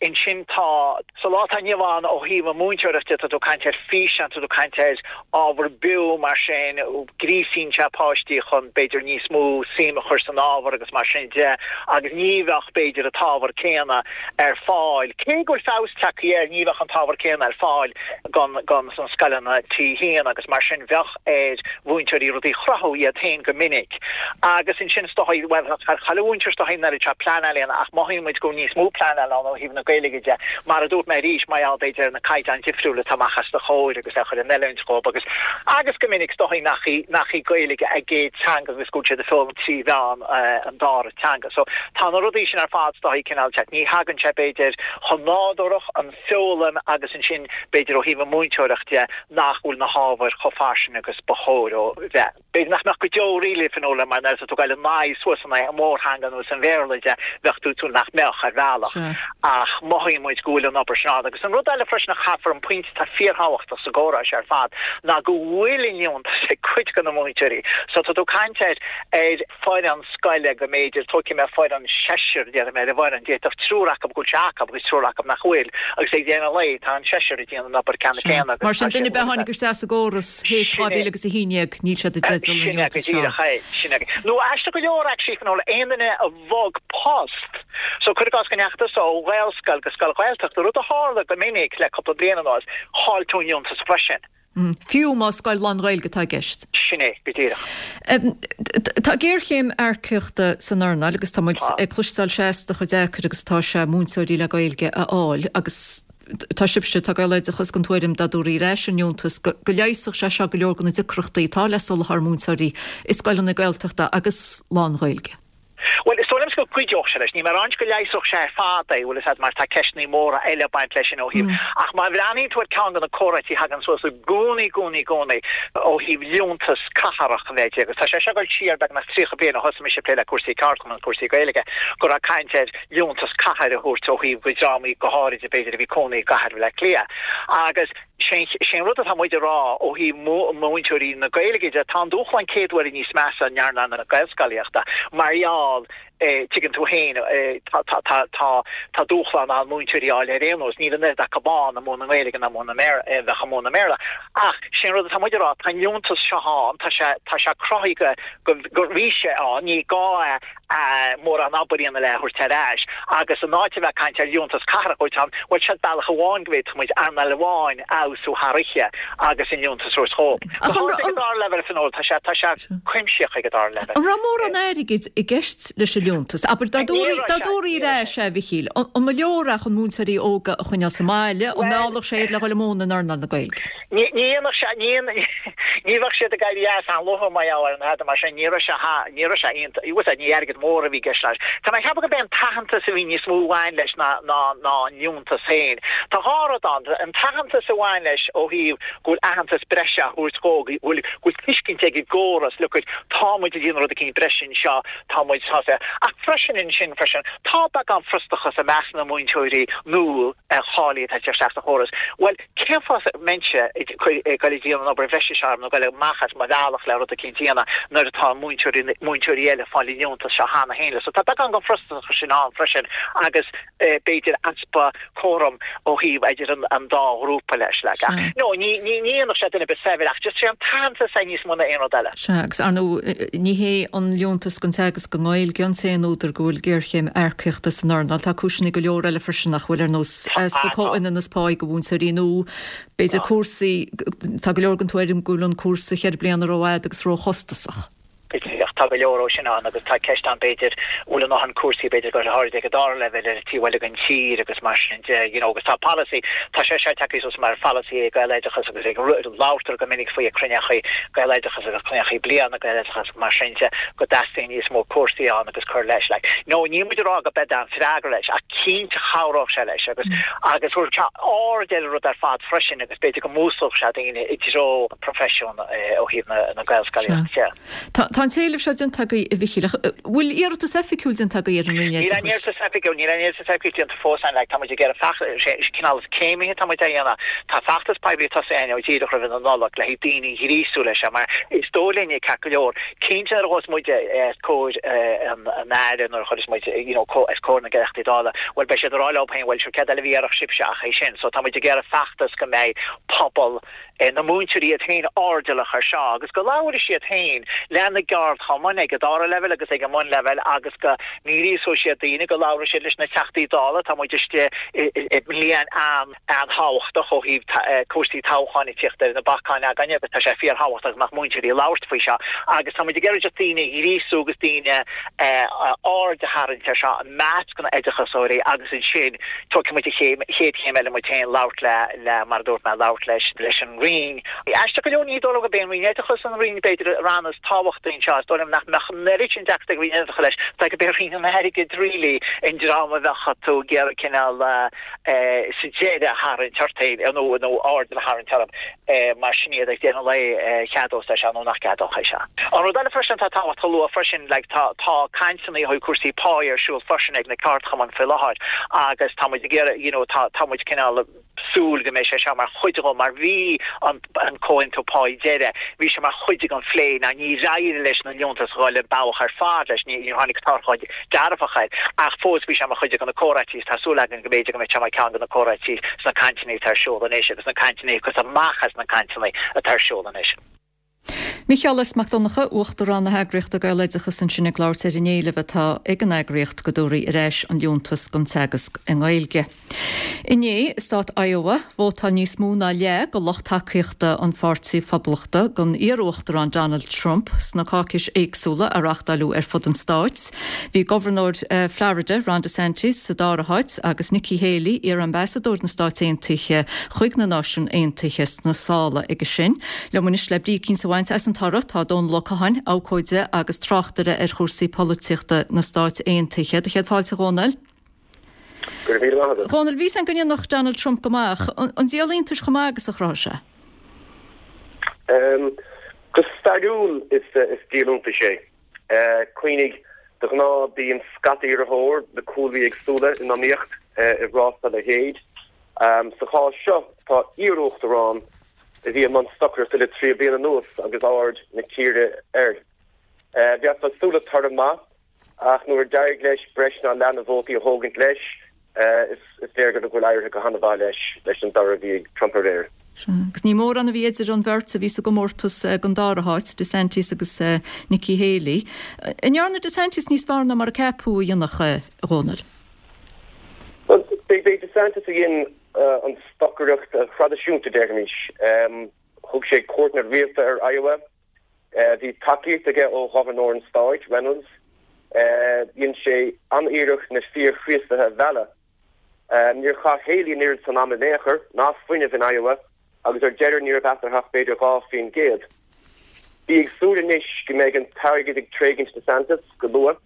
Ansin tá, sa lá atá inniu ann ó thaobh an mhúinteoireacht de, tá tú ag caint ar físeán, tá tú ag caint ar ábhar beo mar sin, gríosaíonn sé páistí chun b'fhéidir níos mó suim a chur san ábhar agus mar sin de agus ní bheadh b'fhéidir an t-ábhar céanna ar fáil, cé go bhfuil feabhas tagtha air, ní bheadh an t-ábhar céanna ar fáil don don sna scoileanna T1 agus mar sin bheadh ar mhúinteoirí rudaí a chruthú iad féin go minic. Agus ansin is dóichí, bhuel, chuile mhúinteoir is dóichí an oiread seo pleanáil a dhéanamh ach mothaíonn muid go bhfuil níos mó pleanáil ann ó thaobh na Gaeilge de, mar a dúirt mé arís, mar gheall b'fhéidir ar na caighdeáin difriúla atá amach os do chomhair agus é a chur in oiliúint dhóibh agus agus go minic is dóichí nach í nach í Gaeilge a gcéad teanga agus go bhfuil siad ag foghlaim trí mheán an dara teanga. So tá na rudaí sin ar fad is dóichí cineál ní thagann sé b'fhéidir chomh nádúrach an foghlaim agus ansin b'fhéidir ó thaobh an mhúinteoireacht de nach bhfuil na hábhair chomh fairsing agus ba chóir dó bheith. B'fhéidir nach mbeadh go deo really Fionnuala mar nuair atá tú ag dul in aghaidh suas in aghaidh an mhórtheanga nó an Bhéarla de bheadh tú tú nach mbeadh ar bhealach ach mothaíonn muid go bhfuil an obair sin ann. Agus an rud eile freisin a chaithfear an pointe atá fíorthábhachtach sa gcomhrá seo ar fad ná go bhfuil an liúntas ag cuid de na múinteoirí. So tá tú ag caint ar ar foireann scoile go mb'fhéidir, tógfaidh mé foireann seisir, déarfaidh mé ar an bhfoireann, d'fhéadfadh triúr acu go bhfuil sé acu agus triúr acu nach bhfuil, agus ag deireadh an lae tá an seisear ag déanamh an obair ceannann céanna agus Mar sin, duine ar bith a tháinig isteach sa gcóras théis 2011, níl siad i dteideal. dteideal an Sin é go liúntais seo. díreach é, sin é. Nó aisteach go leor actually Fionnuala, aon duine a bhog post, so cuir i gcás go ndeachaigh tusa ó Ghaelscoil go scoil Ghaeltachta, rud a tharla go minic le cúpla bliain anuas, chaill tú an liúntas freisin. Fiú más scoil lán-Ghaeilge atá i gceist. Sin é, go díreach. Tá géarchéim earcaíochta san earnáil agus tá muid ag cloisteáil seasta chomh deacair agus atá sé múinteoirí le Gaeilge a fháil agus tá sibhse, tá Gaeloideachas den tuairim dá dtabharfaí ar ais an liúntas go leigheasfadh sé seo go leor de na deacrachtaí atá le soláthar múinteoirí i scoileanna Gaeltachta agus lán-Ghaeilge. Bhuel, is dóigh liomsa go gcuideodh sé leis. Níl mé ag ráint go leigheasfadh sé ar fad é, bhfuil fhios a'd, mar tá ceisteannaí móra eile ag baint leis sin ó thaobh. Ach má bhreathnaíonn tú ar ceann de na comhráití a thagann suas i gcónaí, gcónaí, gcónaí ó thaobh liúntas cathrach a bheith agus tá sé seo ag dul siar beagnach 30 bliain ó thosaigh mise ag plé le cúrsaí ceardchumann, cúrsaí Gaeilge, go raibh caint ar liúntas cathair a thabhairt ó thaobh go dreamannaí go háirid b'fhéidir a bhí cónaí i gcathair Bhaile Átha Cliath. Agus sé an rud atá muid a rá ó thaobh múinteoirí na Gaeilge de, tá an dúshlán céad uaire níos measa in earnáil na Gaelscolaíochta mar gheall, tuigeann tú féin, tá dúshlán ann múinteoirí a fháil ar aon nós, níl an oiread acu ann ag múineadh na Gaeilge ná múineadh na mBéarla, a bheadh ag múineadh na mBéarla. Ach sé an rud atá muid a rá, tá an liúntas seo ann, tá sé, tá sé cruthaithe go, go bhí sé ann, ní gá é mórán obair a dhéanamh le a thabhairt ar ais agus in áit a bheith ag caint ar liúntas cathrach a thabhairt ann, bhuel siod bealach amháin go bhféadfadh muid earnáil amháin a fheabhsú thar oíche agus an liúntas a thabhairt dhóibh. Go háirithe ag an dara leibhéal, Fionnuala, tá sé, tá sé cuimsitheach ag an dara leibhéal. An raibh mórán airgid i gceist leis an liúntas? Abair, dá dtabharfaí ar ais é, a Mhichíl, an mba leor é chun múinteoirí óga a choinneáil sa mbaile, an meallfadh sé iad le dhul i mbun in earnáil na Gaeilge? Ní dhéanfadh sé, ní, ní bheadh siad ag éirí as an-luath mar gheall ar an tada mar sin, ní raibh sé, ní raibh sé iontach, bhfuil fhios a'd, ní airgead mór a bhí i gceist leis. Tá mé ag ceapadh gurb é an t-aitheantas a bhí níos mó a bhain leis ná, ná, ná an liúntas féin. Tá dhá rud ann, an t-aitheantas a bhain leis ó thaobh go bhfuil aitheantas breise á thabhairt dhó, go bhfuil, go bhfuil tuiscint ag an gcóras, look it, tá muid ag déanamh rud eicínt breise anseo, tá muid sásta. Ach freisin ansin freisin, tá beagán frustrachas i measc na múinteoirí nua cháilithe atá ag teacht isteach sa chóras. Bhuel, Cén fáth a mbeinnse ag dul ag déanamh an obair bhreise seo orm nó ag dul amach as mo bhealach le rud eicínt a dhéanamh nuair atá múinteoirí múinteoirí eile ag fáil an liúntas seo cheana féin? So tá beagán den frustrachas sin ann freisin agus b'fhéidir easpa comhthrom ó thaobh idir an an dá ghrúpa leis like. Ach no, ní ní ní dhéanfadh sé duine ar bith saibhir ach just sé an t-aitheantas é níos mó ná aon rud eile. Sea, agus ar ndóigh ní hé an liúntas don teagasc i nGaeilge an t-aon údar go bhfuil géarchéim earcaíochta san earnáil. Tá cúiseanna go leor eile freisin nach bhfuil ar nós easpa comhionannas páí do mhúinteoirí nó b'fhéidir cúrsaí, tá go leor den tuairim go bhfuil an cúrsa cheithre bliana rófhada agus róchostasach. Go díreach, tá go leor ó sin ann agus tá ceist ann b'fhéidir, bhfuil a ndóthain cúrsaí b'fhéidir go háirid ag an dara leibhéal ar an taobh eile den tír agus mar sin de, you know agus tá polasaí, tá sé seo tagtha suas mar pholasaí ag Gaeloideachas agus ag labhartar go minic faoi ag cruinneachaí Gaeloideachas agus cruinneachaí bliana Gaeloideachas mar sin de go dteastaíonn níos mó cúrsaí ann agus cur leis like. No, níl muid ag rá go b'é an freagra leis ach cinnte chabhródh sé leis agus agus thabharfadh sé aird ar an rud ar fad freisin agus b'fhéidir go músclódh sé daoine i dtreo an profession ó thaobh na na Gaelscolaíochta de. Tá tá an t-éileamh seo déanta agaibh a Mhichíl ach bhfuil iarratas oifigiúil déanta agaibh ar an Roinn Níl aon Oideachais? iarratas oifigiúil, níl aon iarratas oifigiúil déanta fós ann like tá muid ag iarraidh feachtas, sé cineál is céimithe atá muid á dhéanamh. Tá feachtas poiblí tosaithe againn ó díreach roimh an Nollaig le haghaidh daoine a ghríosú leis seo mar is dóigh linn ceart go leor Cinnte nuair a ghabhfas muid os comhair an Aire, nuair a chuirfeas muid you know os comhair na dTeachtaí Dála, bhuel beidh siad ag rá leo féin bhuel sure céard eile a bhí iarrfadh sibhse ach é sin. So tá muid ag iarraidh feachtas go mbeidh pobal na múinteoirí iad féin airdeallach ar seo agus go labharfaidh siad féin lena gceardchumainn ag an dara leibhéal agus ag an mbunleibhéal agus go ngríosóidh siad daoine, go labharfaidh siad leis na Teachtaí Dála, tá muid istigh i mbliain an. an-tábhachtach ó thaobh cúrsaí toghcháin ag tíocht ar na bacáin againne agus tá sé fíorthábhachtach go mbeadh múinteoirí ag labhairt faoi seo agus tá muid ag iarraidh just daoine a ghríosú agus daoine aird a tharraingt ar seo i measc na n-oideachasóirí agus ansin tógfaidh muid an chéad chéim eile muid féin labhairt le le mar a dúirt mé labhairt leis leis an Roinn. Aisteach go leor ní dóigh liom gurb é an Roinn Oideachais an Roinn b'fhéidir ranna is tábhachtaí anseo is dóigh liom nach mbeadh an oiread sin deacracht ag Roinn Oideachais leis tá gurb é Roinn an Airgid really an dream a bheadh tú ag iarraidh cineál sa deireadh a tharraingt ort féin nó nó aird a tharraingt orthu mar sin iad ag deireadh an lae cheadós é seo nó nach gceadódh é seo. An rud eile freisin atá tábhachtach a lua freisin like tá tá cainteanna ó thaobh cúrsaí pá ar siúl freisin ag na ceardchumainn faoi láthair agus tá muid ag iarraidh you know tá tá muid cineál súil go mbeidh sé seo mar chuid dhó mar bhí an an comhaontú páí deiridh bhí sé mar chuid den phlé ná níor éirigh leis na liúntais a dhul an bealach ar fad leis ní níor tháinig toradh dearfach air ach fós bhí sé mar chuid de na comhráití is tá súil againn go mb'fhéidir go mbeidh sé mar cheann de na comhráití sna cainteanna atá ar siúl anois agus na cainteanna a thiocfas amach as na cainteanna atá ar siúl anois. Micheál S. Mac Donncha, Uachtarán na heagraíochta Gaeloideachas ansin ag labhairt ar an éileamh atá ag an eagraíocht go dtabharfaí ar ais an liúntas don teagasc i nGaeilge. Inné, i stát Iowa, vótáil níos mó ná leath de lucht tacaíochta an Pháirtí Phoblachtach don iar-uachtarán Donald Trump sna cáicis éagsúla a reáchtáileadh ar fud an stáit. Bhí gobharnóir Florida, Ron DeSantis, sa dara háit agus Nikki Haley, iar-ambasadóir na Stáit Aontaithe chuig na Náisiúin Aontaithe, sna sála aige sin. Liom anois le brí eicínt a bhaint as an toradh tá Dónal Ó Catháin, abhcóide agus tráchtaire ar chúrsaí polaitíochta na Stáit Aontaithe. Do chéad fáilte, a Dhónaill. Go raibh míle maith agat. A Dhónaill, bhí a fhios againn go ndéanfadh Donald Trump go maith ach an díol iontais chomh maith agus a chruthaigh sé? Go stairiúil is díol iontais é. Cuimhnigh, de ghnáth bíonn scata iarrthóir le cúlraí éagsúla in iomaíocht i rás dá leithéid. Sa chás seo tá iar-uachtarán a bhí i mbun stocaireachta le 30 bliain anuas agus aird na tíre air. Bheifeá ag súil le toradh maith ach nuair a d'éirigh leis breis ná leath na vótaí a thógaint leis, is léir go bhfuil éirithe go han-mhaith leis leis an dtoradh a bhí ag Trump aréir. Sea, agus ní mórán a bhí idir an bheirt a bhí sa gcomórtas don dara háit, DeSantis agus Nikki Haley. An ndearna DeSantis níos fearr ná mar a ceapadh a dhéanfadh, a Dhónaill? Bhuel, b'é DeSantis a dhein an stocaireacht thraidisiúnta, déarfaimis. Thug sé cuairteanna rialta ar Iowa. Bhí tacaíocht aige ó ghobharnóir an stáit, Reynolds. Dhein sé an-iarracht na fíor-Chríostaithe a mhealladh. Níor chaith Haley an oiread san ama in aon chor, ná fuinnimh in Iowa, agus ar deireadh ní raibh eatarthu ach b'fhéidir 2%. Bí ag súil anois go mbeidh an t-airgead ag tréigint DeSantis go luath.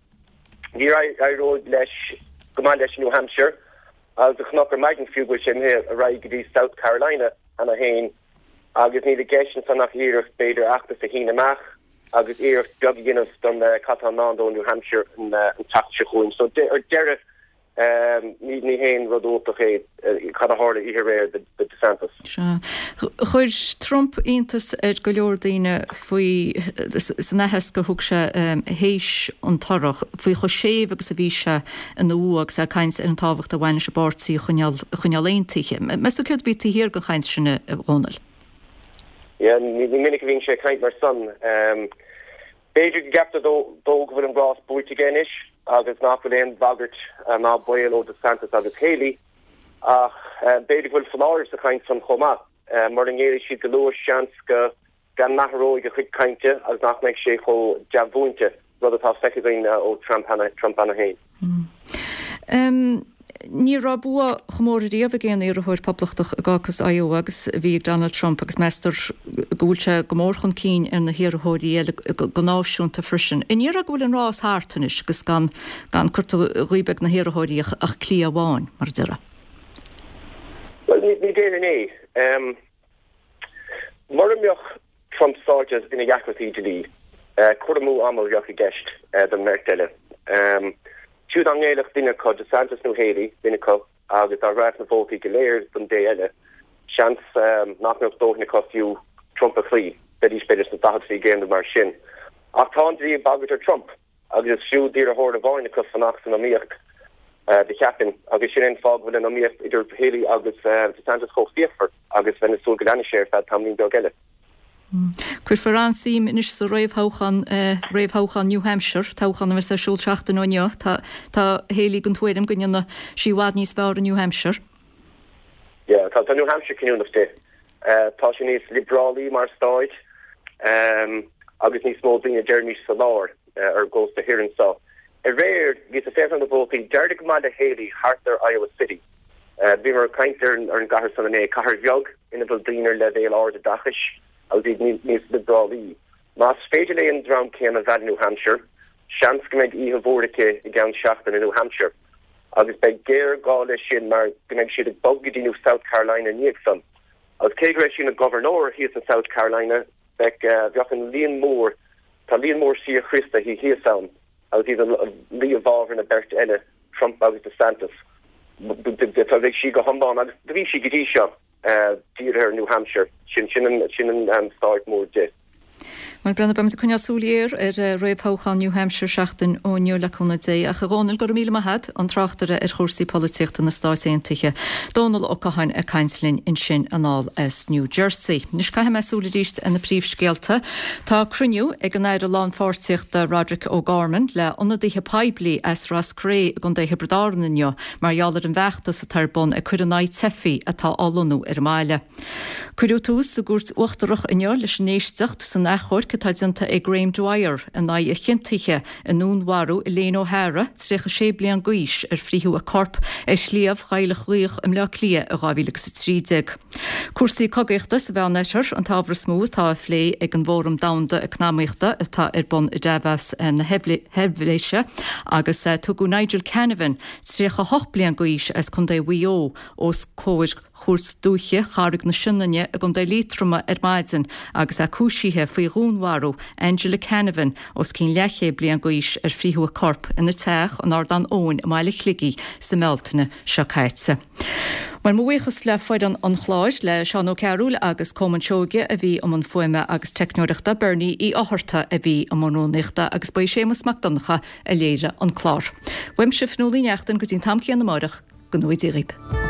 Ní éireoidh leis go maith leis i New Hampshire, agus do chonac ar maidin fiú go bhfuil sé imithe ar aghaidh go dtí South Carolina cheana féin. Agus níl i gceist ansan ach iarracht, b'fhéidir, fheachtas a shíneadh amach agus iarracht beag a dhéanamh don cad tá i ndán dó i New Hampshire an tseachtain seo chugainn. So ar deireadh, ní haon rud iontach é cad a tharla oíche aréir do DeSantis. Sea. Chuir Trump iontas ar go leor daoine faoi, san aitheasc a thug sé théis an toradh, faoi chomh séimh agus a bhí sé ina bhua agus é ag caint ar an tábhacht a bhain leis an bpáirtí a choinneáil a choinneáil aontaithe. Meas tú céard a bhí taobh thiar den chaint sin, a Dhónaill? Yeah, ní minic a bhíonn sé ag caint mar san. B'fhéidir go gceaptar dó go bhfuil an rás buaite aige anois agus nach bhfuil aon bhagairt ná baol ó DeSantis agus Haley ach b'fhéidir go bhfuil foláireamh sa chaint san chomh maith. Mura ngéillfidh siad go luath, seans go go n-athróidh a chuid cainte agus nach mbeidh sé chomh dea-mhúinte, rud atá feicthe againn ó Trump cheana féin. Ní raibh bua chomh mór ariamh ag aon iarrthóir Poblachtach i gcácas Iowa agus a bhí ag Donald Trump agus meastar go bhfuil sé go mór chun cinn ar na hiarrthóirí eile go náisiúnta freisin. An ndéarfá go bhfuil an rás thart anois agus gan gan curtha dhíob ag na hiarrthóirí ach cliath amháin, mar a déarfá? Bhuel, ní déarfainn é. Mura mbeadh Trump sáite ina dheacrachtaí dlí, cur amú ama a bheadh i gceist don mbeirt eile. Fiú dá ngéillfeadh duine acu, DeSantis nó Haley, duine acu, agus dá rachadh na vótaí go léir don dté eile, seans nach mbeadh dóthain acu fiú Trump a chloí, bheidís b'fhéidir sna 40% nó mar sin. Ach tá an dlí ag bagairt ar Trump. Agus is fiú d'iarrthóir amháin acu fanacht san iomaíocht, do cheapfainn, agus sin é an fáth go bhfuil an iomaíocht idir Haley agus DeSantis chomh fíochmhar agus bheinn ag súil go leanfaidh sé ar feadh tamaillín beag eile. Cuirfear an-suim anois sa réamhthoghchán, réamhthoghchán New Hampshire, toghchán a bheas ar siúl seachtain ó inniu. Tá tá Haley den tuairim go ndéanfaidh sí i bhfad níos fearr i New Hampshire. Yeah, tá New Hampshire cinniúnach di. Tá sé níos liobrálaí mar stáit agus níos mó daoine, deirimis, sa lár ar an gcósta thoir anseo. Aréir, bhíos ag féachaint ar na vótaí, d'éirigh go maith le Haley thart ar Iowa City. Bhíomar ag caint ar an gcathair san inné, cathair bheag ina bhfuil daoine ar leibhéal ard oideachais agus iad níos liobrálaí. Más féidir léi an dream céanna a mhealladh i New Hampshire, seans go mbeidh oíche mhór aici i gceann seachtaine i New Hampshire. Agus beidh géarghá leis sin mar go mbeidh siad ag bogadh go dtí New South Carolina i ndiaidh san. Agus cé go raibh sí ina gobharnóir thíos in South Carolina, bheadh, bheadh an líon mór, tá líon mór síor-Chríostaithe thíos ann agus iad ag luí i bhfabhar na beirte eile, Trump agus DeSantis. Bheadh sí go hiomlán, agus do bhí sí go dtí seo. dírithe ar New Hampshire. Sin sin an sin an stáit mór di. Bhuel, Breandán, beimid ag coinneáil súil ghéar ar réamhthoghchán New Hampshire seachtain ó inniu, le cúnamh Dé. Ach a Dhónaill, go raibh míle maith a't, an tráchtaire ar chúrsaí polaitíochta na Stáit Aontaithe, Dónal Ó Catháin ag caint linn ansin anall as New Jersey. Anois caithfidh mé súil arís ar na príomhscéalta. Tá cruinniú ag an Aire Lánpháirtíochta Roderic O'Gorman le ionadaithe poiblí as Ros Cré i gContae Thiobraid Árann inniu mar gheall ar an bhfeachtas atá ar bun ag cur in aghaidh teifigh atá á lonnú ar an mbaile. Cuireadh tús sa gCúirt Uachtarach inniu leis an éisteacht san achomharc atá déanta ag Graham Dwyer in aghaidh a chiontaithe i ndúnmharú Elaine O'Hara, 36 bliain d'aois, ar frítheadh a corp ar Shliabh Chailleach Ghaoth i mBleá Cliath i 2013. Cúrsaí cogaíochta sa Mheánoirthear an t-ábhar is mó atá á phlé ag an bhFóram Domhanda Eacnamaíochta atá ar bun i Davos na hEilvéise agus tugadh Nigel Canavan, 38 bliain d'aois as Contae Mhaigh Eo, os comhair Chúirt Dúiche Charraig na Sionainne i gContae Liatroma ar maidin agus é cúisithe faoi dhúnmharú Angela Canavan, os cionn leathchéad bliain d'aois, ar frítheadh a corp ina teach in Ardán Eoin i mbaile Shligigh sa mBealtaine seo caite. Bhuel, mo bhuíochas le foireann an chláir, le Seán Ó Cearúil agus Colmán Seoige a bhí i mbun fuaime agus teicneoireachta, Bernie Uí Fhátharta a bhí i mbun rúnaíochta agus ba í Séamus Mac Donncha a léirigh an clár. Uaimse, Fionnuala Ní Neachtain, go dtí an t-am céanna amáireach, go ngnóthaí Dia dhaoib.